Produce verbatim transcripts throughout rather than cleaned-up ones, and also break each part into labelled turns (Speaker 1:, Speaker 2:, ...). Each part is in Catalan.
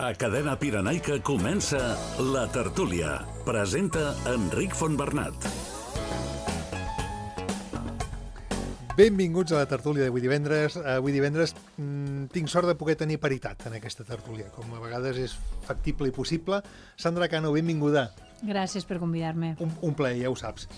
Speaker 1: A Cadena Pirenaica comença La Tertúlia. Presenta Enric Fontbernat.
Speaker 2: Benvinguts a la tertúlia d'avui divendres. Avui divendres mmm, tinc sort de poder tenir paritat en aquesta tertúlia, com a vegades és factible i possible. Sandra Cano, benvinguda.
Speaker 3: Gràcies per convidar-me.
Speaker 2: Un, un plaer, ja ho saps.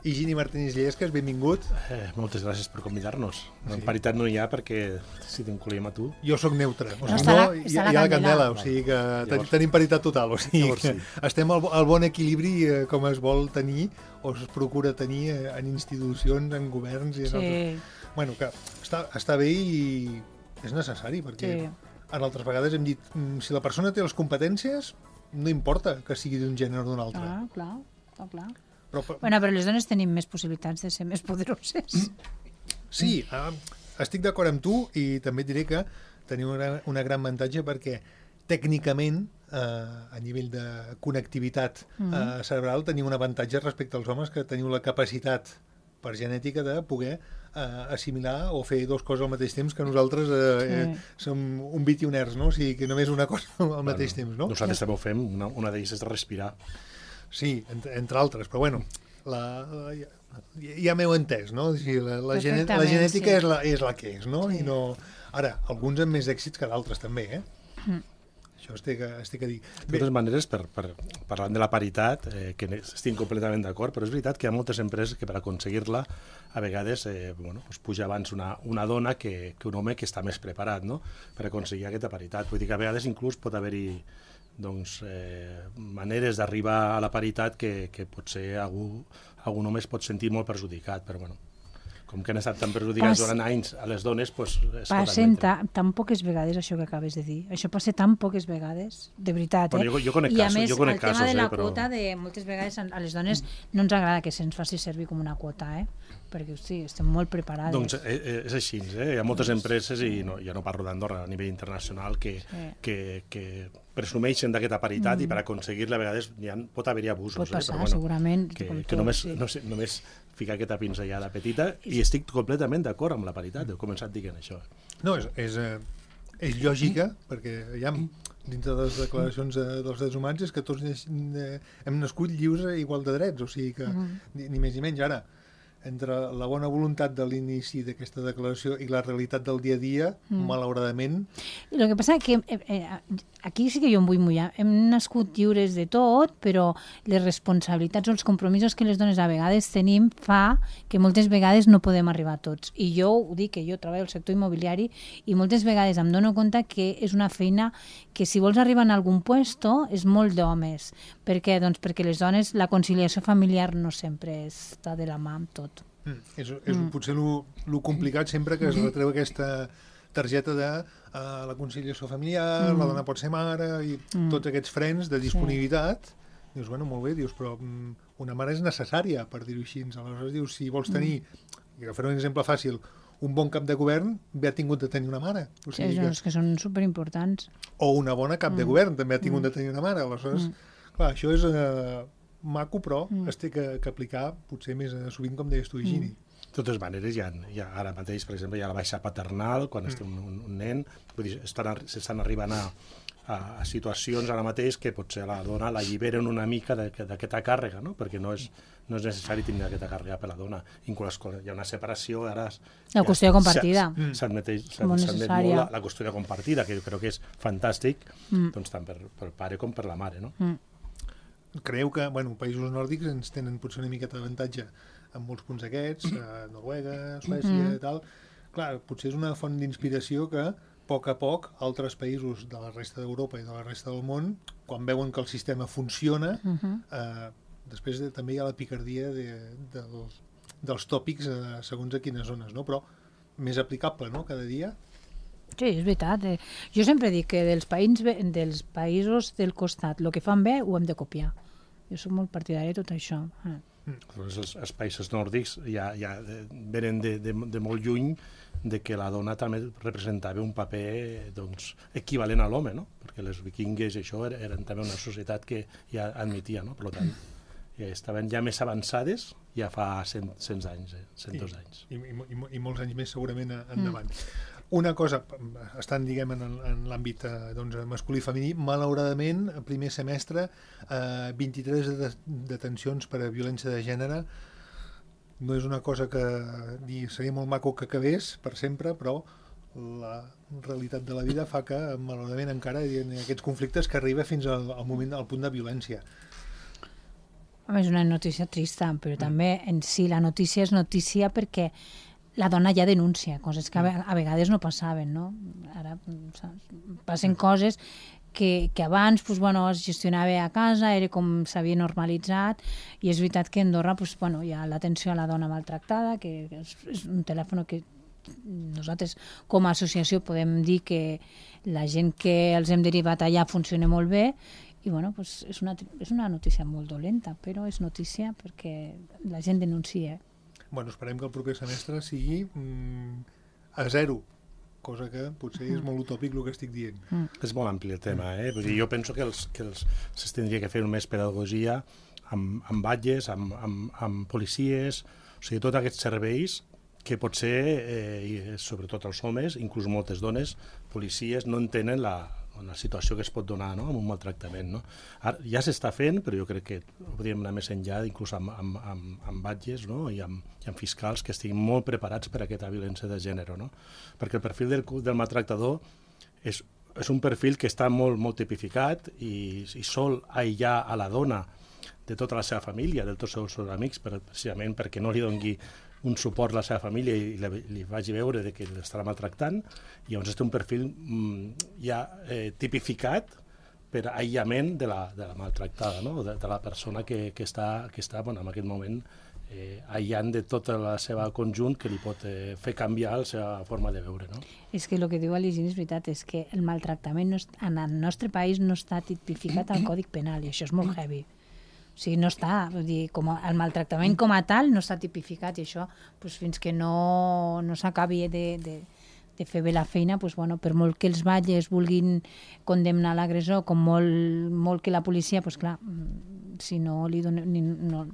Speaker 2: Higini Martínez Llesques, benvingut.
Speaker 4: Eh, moltes gràcies per convidar-nos. Sí. Paritat no hi ha perquè si t'encollim a tu.
Speaker 2: Jo sóc neutre. O sigui,
Speaker 3: no,
Speaker 2: no,
Speaker 3: la,
Speaker 2: hi, hi ha la candela, o sigui que Llavors, tenim paritat total. O sigui que sí. Estem al, al bon equilibri eh, com es vol tenir o es procura tenir eh, en institucions, en governs i en
Speaker 3: sí.
Speaker 2: altres. Bueno, que està, està bé i és necessari perquè sí. En altres vegades hem dit si la persona té les competències no importa que sigui d'un gènere o d'un altre.
Speaker 3: Ah, clar, clar, clar.
Speaker 2: Però, però...
Speaker 3: Bueno, però les dones tenim més possibilitats de ser més poderoses.
Speaker 2: Sí, eh, estic d'acord amb tu i també et diré que tenim una, una gran avantatge perquè tècnicament, eh, a nivell de connectivitat eh, cerebral, tenim un avantatge respecte als homes que teniu la capacitat per genètica de poder eh, assimilar o fer dues coses al mateix temps que nosaltres eh, sí. eh, som un bit i un hertz, no? O sigui, que només una cosa al bueno, mateix temps, no?
Speaker 4: Nosaltres també ho fem, una, una d'elles és de respirar.
Speaker 2: Sí, entre, entre altres, però bueno, la, la, ja, ja m'heu entès, no? O sigui, la, la, genet, la genètica sí. és, la, és la que és, no? Sí. I no... Ara, alguns amb més èxits que d'altres també, eh? Mm. Això estic, estic a dir.
Speaker 4: De totes maneres, per, per, parlant de la paritat, eh, que estic completament d'acord, però és veritat que hi ha moltes empreses que per aconseguir-la a vegades eh, bueno, pues puja abans una, una dona que, que un home que està més preparat, no? Per aconseguir aquesta paritat. Vull dir que a vegades inclús pot haver-hi doncs, eh, maneres d'arribar a la paritat que, que potser algú, algun home es pot sentir molt perjudicat, però bueno, com que han estat tan perjudicats durant anys a les dones, doncs es pot
Speaker 3: admetre. Passa tan poques vegades això que acabes de dir. Això passa tan poques vegades, de veritat, eh?
Speaker 4: Bueno, jo, jo conec
Speaker 3: I a
Speaker 4: casos,
Speaker 3: més,
Speaker 4: jo conec
Speaker 3: el tema
Speaker 4: casos,
Speaker 3: de la
Speaker 4: eh, però...
Speaker 3: quota, de, moltes vegades a les dones no ens agrada que se'ns faci servir com una quota, eh? Perquè, hosti, estem molt preparades.
Speaker 4: Doncs eh, és així, eh? Hi ha moltes empreses, i no, ja no parlo d'Andorra, a nivell internacional, que, sí. que, que presumeixen d'aquesta paritat mm. i per aconseguir-la a vegades ja pot haver-hi abusos.
Speaker 3: Pot passar,
Speaker 4: eh? Però, bueno,
Speaker 3: segurament.
Speaker 4: Que,
Speaker 3: tot,
Speaker 4: que només,
Speaker 3: sí.
Speaker 4: no sé, només ficar aquesta pinzellada petita i estic completament d'acord amb la paritat, he començat dient això.
Speaker 2: No, és, és, és lògica, perquè ja dintre de les declaracions dels drets humans és que tots hem nascut lliures i igual de drets, o sigui que ni, ni més ni menys. Ara, entre la bona voluntat de l'inici d'aquesta declaració i la realitat del dia a dia, mm. malauradament...
Speaker 3: El que passa és que eh, eh, aquí sí que jo em vull mullar. Hem nascut lliures de tot, però les responsabilitats o els compromisos que les dones a vegades tenim fa que moltes vegades no podem arribar a tots. I jo ho dic, que jo treballo al sector immobiliari i moltes vegades em dono compte que és una feina que si vols arribar en algun puesto és molt d'homes. Per què? Doncs perquè les dones, la conciliació familiar no sempre està de la mà amb tot.
Speaker 2: Mm, és és mm. potser el complicat sempre que es retreu aquesta targeta de uh, la conciliació familiar, mm. la dona pot ser mare i mm. tots aquests frens de disponibilitat. Sí. Dius, bueno, molt bé, dius, però um, una mare és necessària, per dir-ho així. Aleshores dius, si vols tenir, mm. i fer un exemple fàcil, un bon cap de govern bé ha tingut de tenir una mare. O sigui
Speaker 3: sí, que... que són superimportants.
Speaker 2: O una bona cap mm. de govern també ha tingut mm. de tenir una mare. Aleshores, mm. clar, això és... Uh, maco, però mm. es té que, que aplicar potser més sovint, com deies tu, Higini.
Speaker 4: Mm. De totes maneres, hi ha, hi ha ara mateix, per exemple, hi ha la baixa paternal, quan mm. es té un, un, un nen, vull dir, s'estan arribant a, a, a situacions ara mateix que potser la dona l'alliberen una mica d'aquesta càrrega, no? Perquè no és, no és necessari tenir aquesta càrrega per la dona. Inclús quan hi ha una separació, ara...
Speaker 3: La qüestió compartida.
Speaker 4: S'admet molt la, la qüestió compartida, que jo crec que és fantàstic, mm. doncs tant per, per pare com per la mare, no?
Speaker 2: Mm. Creieu que, bueno, països nòrdics ens tenen potser una miqueta d'avantatge en molts punts aquests, a Noruega, Suècia i mm-hmm. tal. Clar, potser és una font d'inspiració que, a poc a poc, altres països de la resta d'Europa i de la resta del món, quan veuen que el sistema funciona, mm-hmm. eh, després de, també hi ha la picardia de, de, dels, dels tòpics eh, segons a quines zones, no? Però més aplicable, no?, cada dia.
Speaker 3: Sí, és veritat. Eh. Jo sempre dic que dels, païns, dels països del costat, el que fan bé ho hem de copiar. Jo soc molt partidari de tot això. Eh.
Speaker 4: Mm. Els, els països nòrdics ja, ja venen de, de, de molt lluny de que la dona també representava un paper doncs, equivalent a l'home, no? Perquè les vikingues i això eren, eren també una societat que ja admetia, no? Per tant, ja estaven ja més avançades ja fa cent, cent anys, eh? cent dos anys.
Speaker 2: I, i, i, i molts anys més segurament endavant. Mm. Una cosa, estan, diguem, en, en l'àmbit eh, doncs, masculí i femení, malauradament, el primer semestre, eh, vint-i-tres de, detencions per a violència de gènere. No és una cosa que dir, seria molt maco que acabés per sempre, però la realitat de la vida fa que, malauradament, encara hi ha aquests conflictes que arriba fins al, al moment, al punt de violència.
Speaker 3: Home, és una notícia trista, però mm. també en si la notícia és notícia perquè la dona ja denuncia, coses que a vegades no passaven, no? Ara saps? Passen coses que, que abans pues, bueno, es gestionava a casa, era com s'havia normalitzat, i és veritat que a Andorra pues, bueno, hi ha l'atenció a la dona maltractada, que és, és un telèfon que nosaltres com a associació podem dir que la gent que els hem derivat allà funciona molt bé, i bueno, pues, és, una, és una notícia molt dolenta, però és notícia perquè la gent denuncia.
Speaker 2: Bueno, esperem que el proper semestre sigui mm, a zero, cosa que potser és molt utòpic el que estic dient.
Speaker 4: Mm. És molt ampli el tema, eh? Vull dir, jo penso que els, que els, es tindria que fer més pedagogia amb, amb batlles, amb, amb, amb policies, o sigui, tots aquests serveis que potser, eh, sobretot els homes, inclús moltes dones, policies, no entenen la, la situació que es pot donar, no?, amb un maltractament, no? Ara, ja s'està fent, però jo crec que podríem anar més enllà, inclús amb, amb, amb, amb batges, no?, i amb, i amb fiscals que estiguin molt preparats per a aquesta violència de gènere, no? Perquè el perfil del, del maltractador és, és un perfil que està molt, molt tipificat i, i sol aïllar a la dona de tota la seva família, de tots els seus amics, per, precisament perquè no li doni un suport a la seva família i li, li vagi veure de que l'estarà maltractant, i llavors és un perfil mm, ja eh, tipificat per aïllament de la, de la maltractada, no? de, de la persona que, que està, que està bueno, en aquest moment eh, aïllant de tota la seva conjunt que li pot eh, fer canviar la seva forma de veure. No?
Speaker 3: És que el que diu l'Higini és veritat, és que el maltractament no, en el nostre país no està tipificat al Codi Penal, i això és molt heavy. O sigui, no està, vull dir, com a, el maltractament com a tal no està tipificat, i això, pues, fins que no, no s'acabi de, de, de fer bé la feina, pues, bueno, per molt que els batlles vulguin condemnar l'agressor, com molt, molt que la policia, pues, clar, si no li, donem, ni, no,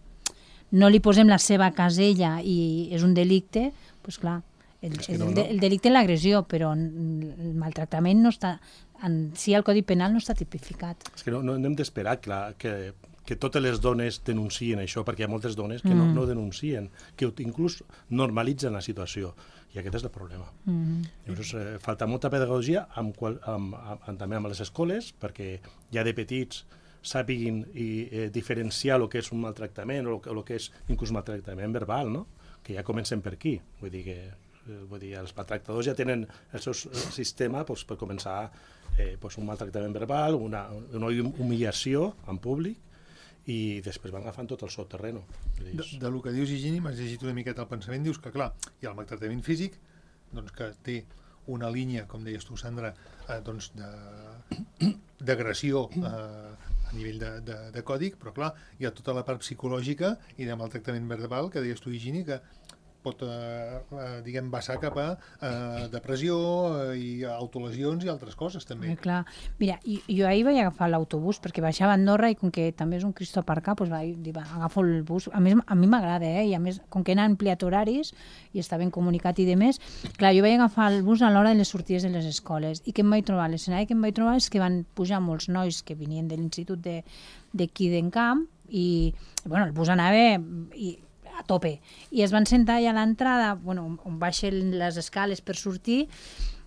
Speaker 3: no li posem la seva casella i és un delicte, pues, clar, el, el, no, no. el delicte és l'agressió, però el maltractament no està, en si el Codi Penal no està tipificat.
Speaker 4: És que no, no hem d'esperar que, que que totes les dones denuncien això, perquè hi ha moltes dones que mm. no, no denuncien, que inclús normalitzen la situació, i aquest és el problema. Mm. Llavors, eh, falta molta pedagogia amb, qual, amb, amb, amb, també amb les escoles, perquè ja de petits sàpiguin i, eh, diferenciar el que és un maltractament o el que és inclús maltractament verbal, no? Que ja comencen per aquí. Vull dir que eh, vull dir, els maltractadors ja tenen el seu sistema pues, per començar eh, pues, un maltractament verbal, una, una humillació en públic, i després van agafant tot el seu terreno.
Speaker 2: De, de lo que dius, Higini, m'has llegit una miqueta el pensament, dius que, clar, hi ha el maltractament físic, doncs que té una línia, com deies tu, Sandra, eh, doncs d'agressió eh, a nivell de, de, de còdic, però, clar, hi ha tota la part psicològica i de maltractament verbal, que deies tu, Higini, que pot, eh, eh, diguem, vessar cap a eh, depressió eh, i autolesions i altres coses, també.
Speaker 3: Eh, clar. Mira, jo, jo ahir vaig agafar l'autobús perquè baixava a Andorra i com que també és un Cristo aparcar, doncs vaig dir, va, agafo el bus. A més, a mi m'agrada, eh? I a més, com que han ampliat horaris i està ben comunicat i de més, clar, jo vaig agafar el bus a l'hora de les sortides de les escoles. I què em vaig trobar? L'escenari que em vaig trobar és que van pujar molts nois que venien de l'institut d'aquí d'Encamp i, bueno, el bus anava i a tope, i es van sentar allà a l'entrada, bueno, on baixen les escales per sortir,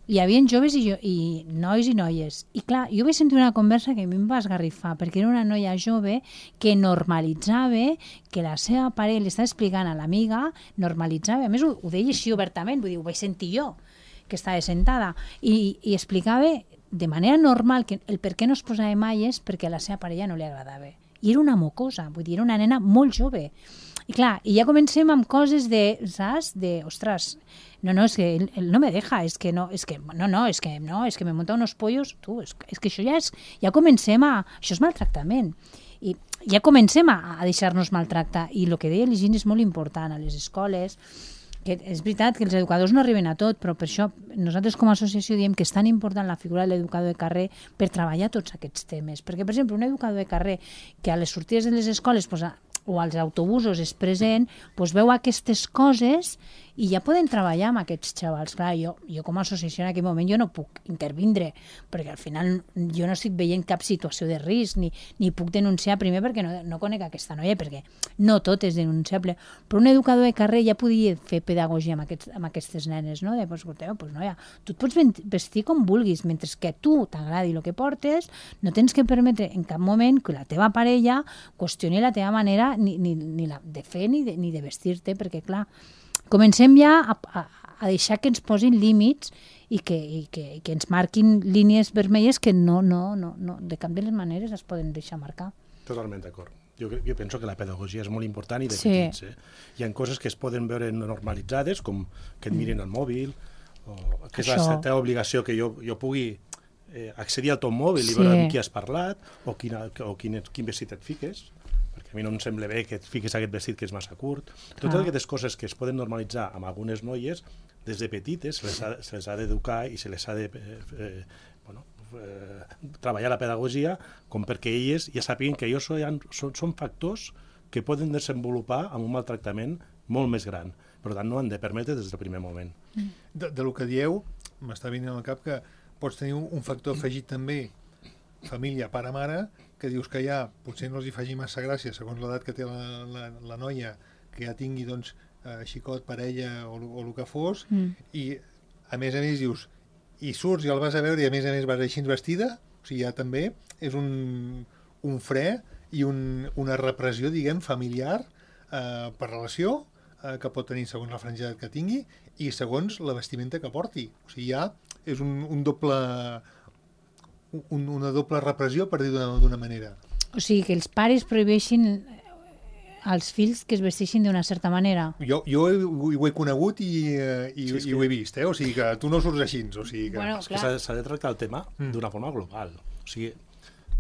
Speaker 3: hi havia joves i, jo, i nois i noies, i clar, jo vaig sentir una conversa que a mi em va esgarrifar, perquè era una noia jove que normalitzava que la seva parella li estava explicant a l'amiga, normalitzava, a més ho, ho deia així obertament, vull dir, ho vaig sentir jo, que estava sentada, i, i explicava de manera normal que el per què no es posava malles perquè a la seva parella no li agradava, i era una mocosa, vull dir, era una nena molt jove. I clar, i ja comencem amb coses de, saps? De, ostres, no, no, és que él, él no me deja, és que no, és que, no, no, és que, no, és que me monta unos pollos, tu, és, és que això ja és, ja comencem a, això és maltractament, i ja comencem a, a deixar-nos maltractar, i el que deia l'Higini és molt important a les escoles, que és veritat que els educadors no arriben a tot, però per això nosaltres com a associació diem que és tan important la figura de l'educador de carrer per treballar tots aquests temes, perquè, per exemple, un educador de carrer que a les sortides de les escoles pues, o als autobusos és present, doncs veu aquestes coses i ja poden treballar amb aquests xavals. Clar, jo, jo com a associació en aquell moment jo no puc intervindre, perquè al final jo no estic veient cap situació de risc, ni, ni puc denunciar primer perquè no, no conec aquesta noia, perquè no tot és denunciable. Però un educador de carrer ja podia fer pedagogia amb, aquests, amb aquestes nenes, no? De, pues, escolteu, pues, noia, tu et pots vestir com vulguis, mentre que a tu t'agradi el que portes, no tens que permetre en cap moment que la teva parella qüestioni la teva manera ni, ni, ni la, de fer ni de, ni de vestir-te, perquè clar, comencem ja a, a, a deixar que ens posin límits i que, i que, i que ens marquin línies vermelles que no, no, no, no, de cap de les maneres es poden deixar marcar.
Speaker 4: Totalment d'acord. Jo, jo penso que la pedagogia és molt important i de
Speaker 3: sí.
Speaker 4: petits. Eh? Hi ha coses que es poden veure normalitzades, com que et mirin el mòbil, o que és Això. la teva obligació que jo, jo pugui eh, accedir al teu mòbil i sí. veure amb qui has parlat, o, quina, o quin, quin vestit et fiques, perquè a mi no em sembla bé que et fiquis aquest vestit que és massa curt. Totes ah. aquestes coses que es poden normalitzar amb algunes noies, des de petites se les ha, se les ha d'educar i se les ha de eh, eh, bueno, eh, treballar la pedagogia com perquè elles ja sàpiguen que ells són, són, són factors que poden desenvolupar amb un maltractament molt més gran. Per tant, no han de permetre des del primer moment.
Speaker 2: De, de lo que dieu, m'està venint al cap que pots tenir un, un factor afegit també, família, pare-mare, que dius que ja potser no els hi faci massa gràcia segons l'edat que té la, la, la noia, que ja tingui doncs, eh, xicot, parella o, o el que fos, mm. i a més a més dius, i surts i el vas a veure i a més a més vas així vestida, o sigui, ja també és un, un fre i un, una repressió, diguem, familiar eh, per relació eh, que pot tenir segons la franja que tingui i segons la vestimenta que porti. O sigui, ja és un, un doble... Un, una doble repressió, per dir d'una manera.
Speaker 3: O sigui, que els pares prohibeixin als fills que es vesteixin d'una certa manera.
Speaker 2: Jo, jo ho, ho he conegut i, i, sí, i ho he vist, eh? O sigui que tu no surts així. O sigui que...
Speaker 3: Bueno,
Speaker 4: és que s'ha de tractar el tema mm. d'una forma global. O sigui,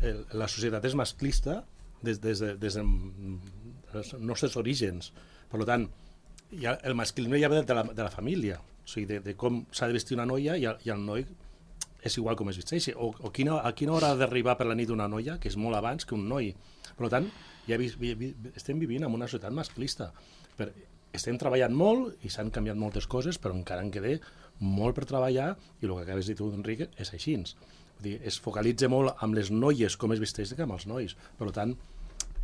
Speaker 4: el, la societat és masclista des, des, de, des dels nostres orígens. Per tant, ja, el masclisme ja ve de la, de la família. O sigui, de, de com s'ha de vestir una noia i el, i el noi és igual com es vesteixi, o, o quina, a quina hora ha d'arribar per la nit una noia, que és molt abans que un noi. Per tant, ja vi, vi, vi, estem vivint en una societat masclista. Per, estem treballant molt i s'han canviat moltes coses, però encara en queda molt per treballar i el que acabes de dir tu, Enric, és així. Vull dir, es focalitza molt amb les noies com es vesteix que amb els nois. Per tant,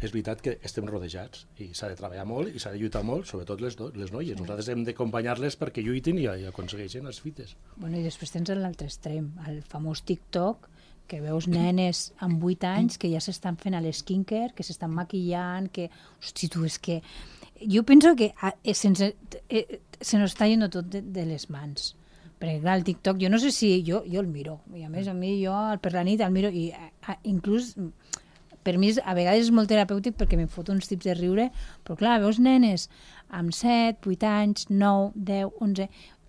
Speaker 4: és veritat que estem rodejats i s'ha de treballar molt i s'ha de lluitar molt, sobretot les, do, les noies. Nosaltres hem d'acompanyar-les perquè lluitin i, i aconsegueixin les fites.
Speaker 3: Bueno, i després tens l'altre extrem, el famós TikTok, que veus nenes amb vuit anys que ja s'estan fent a l'esquincare, que s'estan maquillant, que... Hosti, tu, és que... Jo penso que eh, sense, eh, se nos està yendo tot de, de les mans. Perquè, clar, el TikTok, jo no sé si... Jo, jo el miro, i a més, a mi jo per la nit el miro, i a, inclús... Per mi a vegades és molt terapèutic perquè me'n foto uns tips de riure, però clar, veus nenes amb set, vuit anys, nou, deu, onze,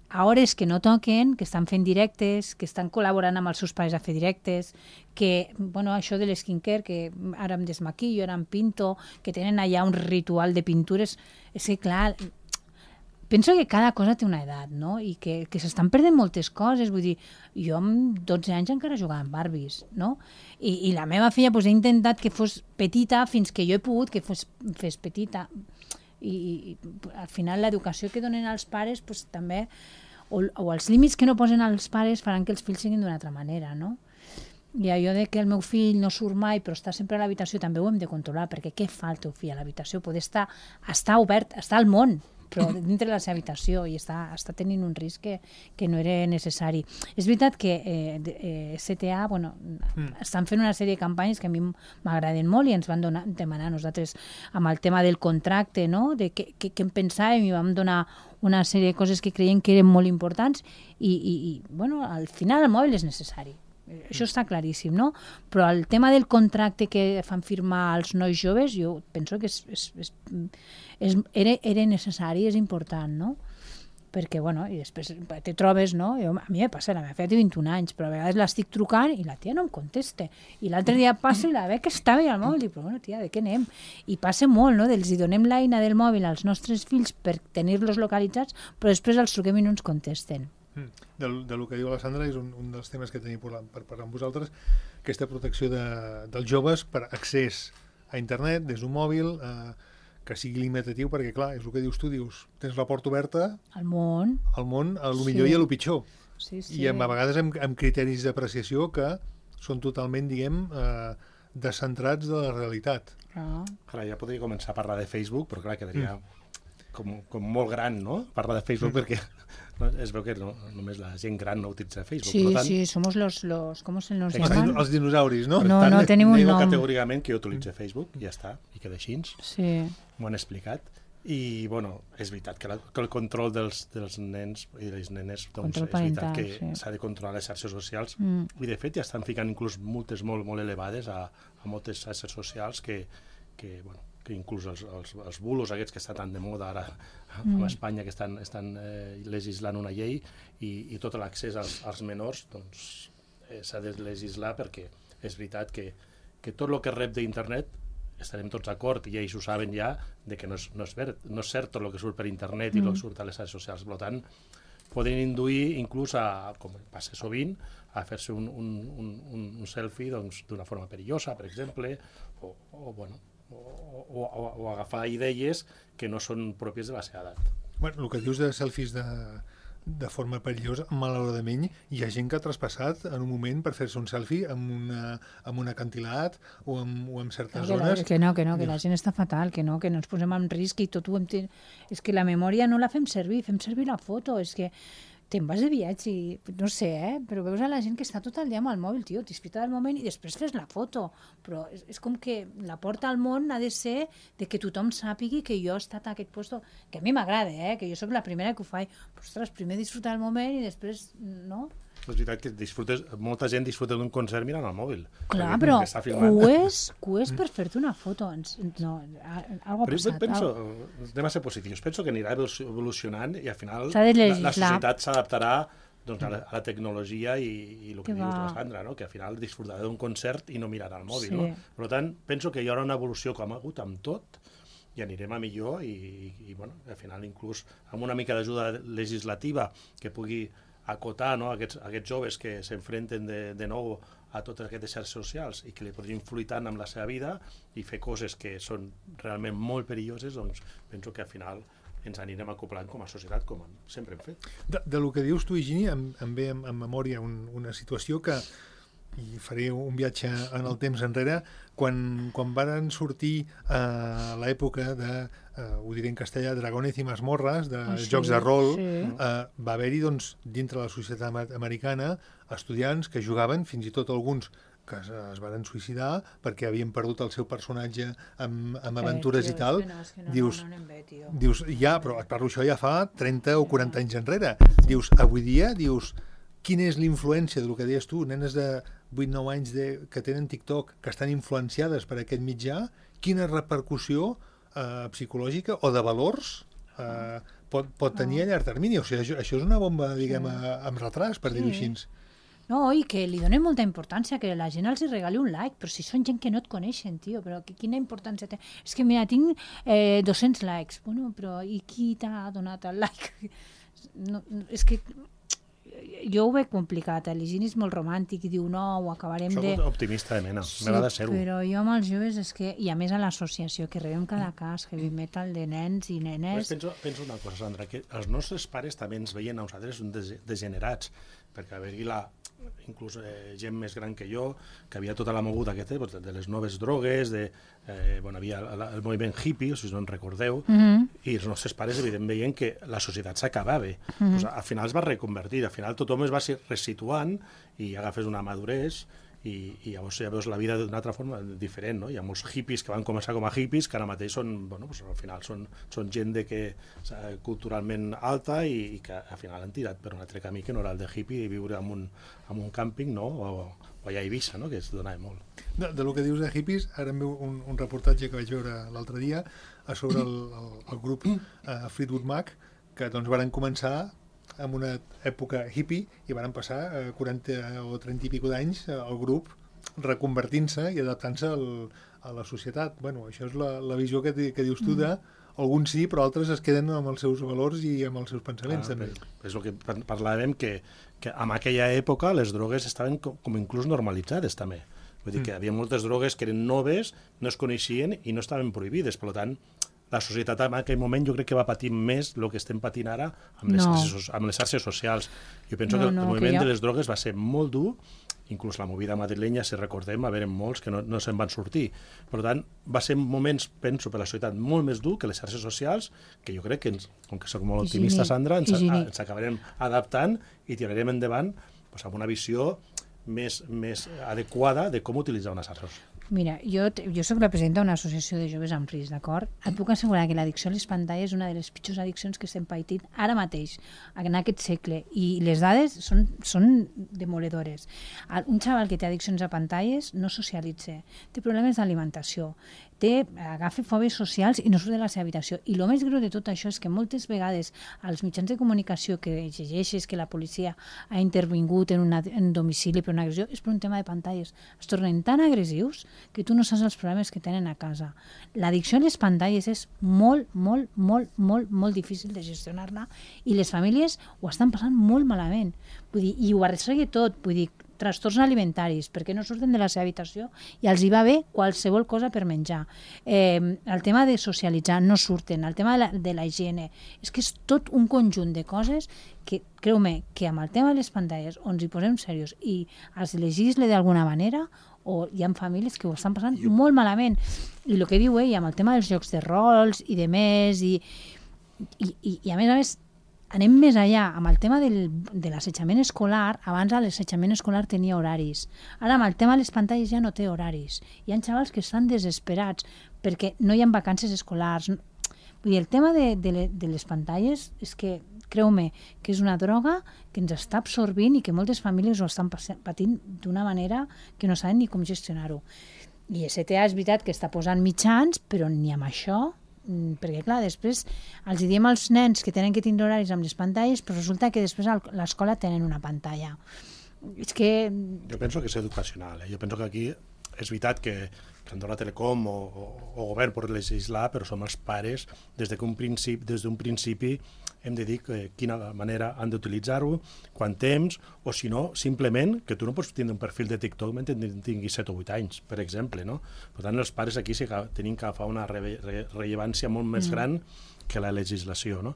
Speaker 3: a hores que no toquen, que estan fent directes, que estan col·laborant amb els seus pares a fer directes, que, bueno, això de l'esquincare, que ara em desmaquillo, ara em pinto, que tenen allà un ritual de pintures, és que clar... Penso que cada cosa té una edat, no? I que, que s'estan perdent moltes coses. Vull dir, jo amb dotze anys encara jugava amb Barbies, no? I, i la meva filla pues, he intentat que fos petita fins que jo he pogut que fos, fes petita. I, i al final l'educació que donen als pares pues, també, o, o els límits que no posen als pares faran que els fills siguin d'una altra manera, no? I allò de que el meu fill no surt mai però està sempre a l'habitació també ho hem de controlar, perquè què fa el teu fill a l'habitació? Poder estar, estar obert, estar al món, però dintre de la seva habitació i està, està tenint un risc que, que no era necessari. És veritat que eh, eh, S T A bueno, mm. estan fent una sèrie de campanyes que a mi m'agraden molt i ens van donar, demanar nosaltres amb el tema del contracte, no? De què, què, què en pensàvem i vam donar una sèrie de coses que creiem que eren molt importants i, i, i bueno, al final el mòbil és necessari. Això està claríssim, no? Però el tema del contracte que fan firmar als nois joves, jo penso que és, és, és, és, era, era necessari, és important, no? Perquè, bueno, i després te trobes, no? Jo, a mi me passa, la meva filla té vint-i-un anys, però a vegades l'estic trucant i la tia no em contesta. I l'altre dia passo i la veig que estava al mòbil, i dic, però bueno, tia, de què anem? I passa molt, no? Els hi donem l'eina del mòbil als nostres fills per tenir-los localitzats, però després els truquem i no ens contesten.
Speaker 2: Del, del que diu la Sandra és un, un dels temes que tenim per, per parlar amb vosaltres, aquesta protecció de, dels joves per accés a internet des d'un mòbil, eh, que sigui limitatiu, perquè, clar, és el que dius tu, dius, tens la porta oberta
Speaker 3: al món,
Speaker 2: al món, a lo millor
Speaker 3: Sí.
Speaker 2: i a lo pitjor.
Speaker 3: sí, sí.
Speaker 2: I amb, a vegades amb, amb criteris d'apreciació que són totalment, diguem, eh, descentrats de la realitat.
Speaker 3: Clar.
Speaker 4: Clar, ja podria començar a parlar de Facebook, però clar, quedaria com, com molt gran, no?, parlar de Facebook, perquè no, es veu que no, només la gent gran no utilitza Facebook.
Speaker 3: Sí,
Speaker 4: per tant,
Speaker 3: sí, somos los, los ¿cómo se nos
Speaker 2: Els,
Speaker 3: llaman?
Speaker 2: din- els dinosauris, no?
Speaker 3: No,
Speaker 4: per tant,
Speaker 3: no, tenim un
Speaker 4: nego
Speaker 3: nom.
Speaker 4: categòricament que jo utilitzo Facebook, i ja està, i queda així,
Speaker 3: Sí,
Speaker 4: m'ho han explicat. I, bueno, és veritat que, la, que el control dels, dels nens i de les nenes, doncs,
Speaker 3: Control
Speaker 4: és veritat
Speaker 3: parental,
Speaker 4: que
Speaker 3: sí.
Speaker 4: s'ha de controlar les xarxes socials.
Speaker 3: Mm.
Speaker 4: I, de fet, ja estan ficant inclús multes molt, molt elevades a, a moltes xarxes socials que, que, bueno, que inclús els, els, els bulos aquests que estan tan de moda ara
Speaker 3: Mm.
Speaker 4: a Espanya, que estan, estan eh, legislant una llei, i, i tot l'accés als, als menors doncs, eh, s'ha de legislar, perquè és veritat que, que tot el que rep d'internet estarem tots d'acord, i ells ho saben ja, de que no és, no és, ver, no és cert tot el que surt per internet i el que surt a les xarxes socials. Per tant, poden induir inclús a, com passa sovint, a fer-se un, un, un, un, un selfie doncs, d'una forma perillosa, per exemple, o, o, bueno, o, o, o, o agafar idees que no són pròpies de la seva edat.
Speaker 2: Bueno, el que dius de selfies de, de forma perillosa, malauradament, hi ha gent que ha traspassat en un moment per fer-se un selfie amb, una, amb un acantilat o amb, o amb certes
Speaker 3: que, la,
Speaker 2: zones.
Speaker 3: que no, que no, que la gent està fatal, que no, que no ens posem en risc i tot ho hem... ten- És que la memòria no la fem servir, fem servir la foto, és que te'n vas de viatge i, no sé, eh? Però veus a la gent que està tot el dia amb el mòbil, tio, disfruta del moment i després fes la foto. Però és, és com que la porta al món ha de ser de que tothom sàpigui que jo he estat a aquest puesto, que a mi m'agrada, eh? Que jo sóc la primera que ho faig. Però, ostres, primer disfrutar del moment i després, no?
Speaker 4: És veritat que disfrutes, molta gent disfruta d'un concert mirant el mòbil.
Speaker 3: Clar,
Speaker 4: perquè
Speaker 3: però
Speaker 4: està filmant.
Speaker 3: ho és, ho és per fer-te una foto. Ens, no, a- algo ha
Speaker 4: Però jo
Speaker 3: passat.
Speaker 4: penso,
Speaker 3: algo-
Speaker 4: anem a ser positius, penso que anirà evolucionant i al final
Speaker 3: S'ha de
Speaker 4: la, la
Speaker 3: legislar.
Speaker 4: societat s'adaptarà doncs, a, la, a la tecnologia i, i el que,
Speaker 3: Que
Speaker 4: dius
Speaker 3: va.
Speaker 4: de la Sandra, no? Que al final disfrutarà d'un concert i no mirarà el mòbil.
Speaker 3: Sí.
Speaker 4: No? Per tant, penso que hi haurà una evolució com ha hagut amb tot i anirem a millor i, i, i bueno, al final inclús amb una mica d'ajuda legislativa que pugui acotar, no, aquests, aquests joves que s'enfrenten de, de nou a totes aquestes xarxes socials i que li podrien influir tant amb la seva vida i fer coses que són realment molt perilloses, doncs penso que al final ens anirem acoplant com a societat, com sempre hem fet.
Speaker 2: De, de lo que dius tu, Higini, em, em ve en, en memòria un, una situació que, i faré un viatge en el temps enrere, quan, quan van sortir a eh, l'època de, eh, ho diré en castellà, Dragones i Masmorres, de
Speaker 3: Ah, sí,
Speaker 2: jocs de rol,
Speaker 3: sí.
Speaker 2: eh, va haver-hi, doncs, dintre la societat ama- americana, estudiants que jugaven, fins i tot alguns que es, es van suïcidar perquè havien perdut el seu personatge amb, amb aventures
Speaker 3: Eh,
Speaker 2: i
Speaker 3: tio,
Speaker 2: tal.
Speaker 3: és que no, és que no,
Speaker 2: Dius,
Speaker 3: no, no anem bé, tio.
Speaker 2: dius, ja, però et parlo això ja fa trenta o quaranta anys enrere. Dius, avui dia, dius, quina és l'influència del que deies tu, nenes de vuit nou anys de, que tenen TikTok, que estan influenciades per aquest mitjà, quina repercussió eh, psicològica o de valors eh, pot, pot tenir a llarg termini. O sigui, això, això és una bomba, diguem, a, amb retras, per
Speaker 3: Sí.
Speaker 2: dir-ho així.
Speaker 3: No, i que li donen molta importància, que la gent els hi regali un like, però si són gent que no et coneixen, tio, però que, quina importància té? És que, mira, tinc eh, dos-cents likes. Bueno, però i qui t'ha donat el like? No, no, és que jo ho veig complicat, l'Higini és molt romàntic i diu, no, ho acabarem
Speaker 4: Soc
Speaker 3: de...
Speaker 4: optimista de mena, m'agrada ser-ho.
Speaker 3: però jo amb els joves és que... I a més a l'associació, que rebem cada cas, heavy metal de nens i
Speaker 4: Pues
Speaker 3: nenes...
Speaker 4: penso, penso una cosa, Sandra, que els nostres pares també ens veien a nosaltres un des, degenerats, perquè haver-hi la, inclús eh, gent més gran que jo, que havia tota la moguda que té, pues, de, de les noves drogues, de, eh, bueno, havia el, el moviment hippie, si no en recordeu,
Speaker 3: Mm -hmm.
Speaker 4: i els nostres pares evidentment veien que la societat s'acabava. Mm -hmm. Pues, al final es va reconvertir, al final tothom es va resituant i agafes una maduresa i, i llavors ja veus la vida d'una altra forma diferent, no? Hi ha molts hippies que van començar com a hippies que ara mateix són, bueno, pues, al final són, són gent de que, eh, culturalment alta i, i que al final han tirat per un altre camí que no era el de hippie i viure en un, en un càmping, no? O, o allà a Eivissa, no? Que es donava molt.
Speaker 2: De, de lo que dius de hippies, ara em veu un, un reportatge que vaig veure l'altre dia a sobre el, el, el grup uh, Fleetwood Mac, que doncs varen començar en una època hippie i van passar eh, quaranta o trenta i pico d'anys eh, el grup reconvertint-se i adaptant-se al, a la societat. Bueno, això és la, la visió que, di- que dius tu de alguns sí, però altres es queden amb els seus valors i amb els seus pensaments,
Speaker 4: Ah,
Speaker 2: també.
Speaker 4: És el que par- parlàvem, que, que en aquella època les drogues estaven com, com inclús normalitzades també. Vull dir que hi havia moltes drogues que eren noves, no es coneixien i no estaven prohibides. Per tant, la societat en aquell moment jo crec que va patir més el que estem patint ara amb les,
Speaker 3: No.
Speaker 4: xarxes, amb les xarxes socials. Jo penso
Speaker 3: No,
Speaker 4: que el
Speaker 3: no, que
Speaker 4: moviment
Speaker 3: jo-
Speaker 4: de les drogues va ser molt dur, inclús la movida madrilenya, si recordem, va haver molts que no, no se'n van sortir. Per tant, va ser moments, penso, per la societat molt més dur que les xarxes socials, que jo crec que, ens, com que soc molt optimista,
Speaker 3: Higiene,
Speaker 4: Sandra, ens,
Speaker 3: higiene.
Speaker 4: ens acabarem adaptant i tirarem endavant doncs, amb una visió més, més adequada de com utilitzar una xarxa social.
Speaker 3: Mira, jo, t- jo soc la presidenta d'una associació de joves amb risc, d'acord? Et puc assegurar que l'addicció a les pantalles és una de les pitjors addiccions que estem patint ara mateix, en aquest segle, i les dades són, són demoledores. El- Un xaval que té addiccions a pantalles no socialitza, té problemes d'alimentació, té, agafa fòbies socials i no surt de la seva habitació. I el més greu de tot això és que moltes vegades als mitjans de comunicació que llegeixes que la policia ha intervingut en, una, en un domicili per una agressió és per un tema de pantalles. Es tornen tan agressius que tu no saps els problemes que tenen a casa. L'addicció a les pantalles és molt, molt, molt, molt, molt difícil de gestionar-la i les famílies ho estan passant molt malament. Vull dir, i ho arrossegue tot, vull dir, trastorns alimentaris, perquè no surten de la seva habitació i els hi va bé qualsevol cosa per menjar. Eh, el tema de socialitzar, no surten. El tema de la, de la higiene. És que és tot un conjunt de coses que, creu-me, que amb el tema de les pantalles, on ens hi posem serios i es legisle d'alguna manera, o hi ha famílies que ho estan passant jo... molt malament. I el que diu ell, amb el tema dels jocs de rols i de més, i, i, i, i a més a més, anem més allà, amb el tema del, de l'assetjament escolar. Abans l'assetjament escolar tenia horaris. Ara amb el tema de les pantalles ja no té horaris. Hi ha xavals que estan desesperats perquè no hi ha vacances escolars. Vull dir, el tema de, de, le, de les pantalles és que, creu-me, que és una droga que ens està absorbint i que moltes famílies ho estan patint d'una manera que no saben ni com gestionar-ho. I S T A és veritat que està posant mitjans, però ni amb això, perquè clar, després els diem als nens que tenen que tindre horaris amb les pantalles, però resulta que després a l'escola tenen una pantalla. És que...
Speaker 4: Jo penso que és educacional. Eh? Jo penso que aquí és veritat que, que Andorra Telecom o, o, o govern pot legislar, però som els pares des de que un principi, des d'un principi hem de dir que, quina manera han d'utilitzar-ho, quant temps, o si no, simplement, que tu no pots tindre un perfil de TikTok mentre tinguis set o vuit anys, per exemple, no? Per tant, els pares aquí sí que tenim que agafar una re re rellevància molt més mm. gran que la legislació, no?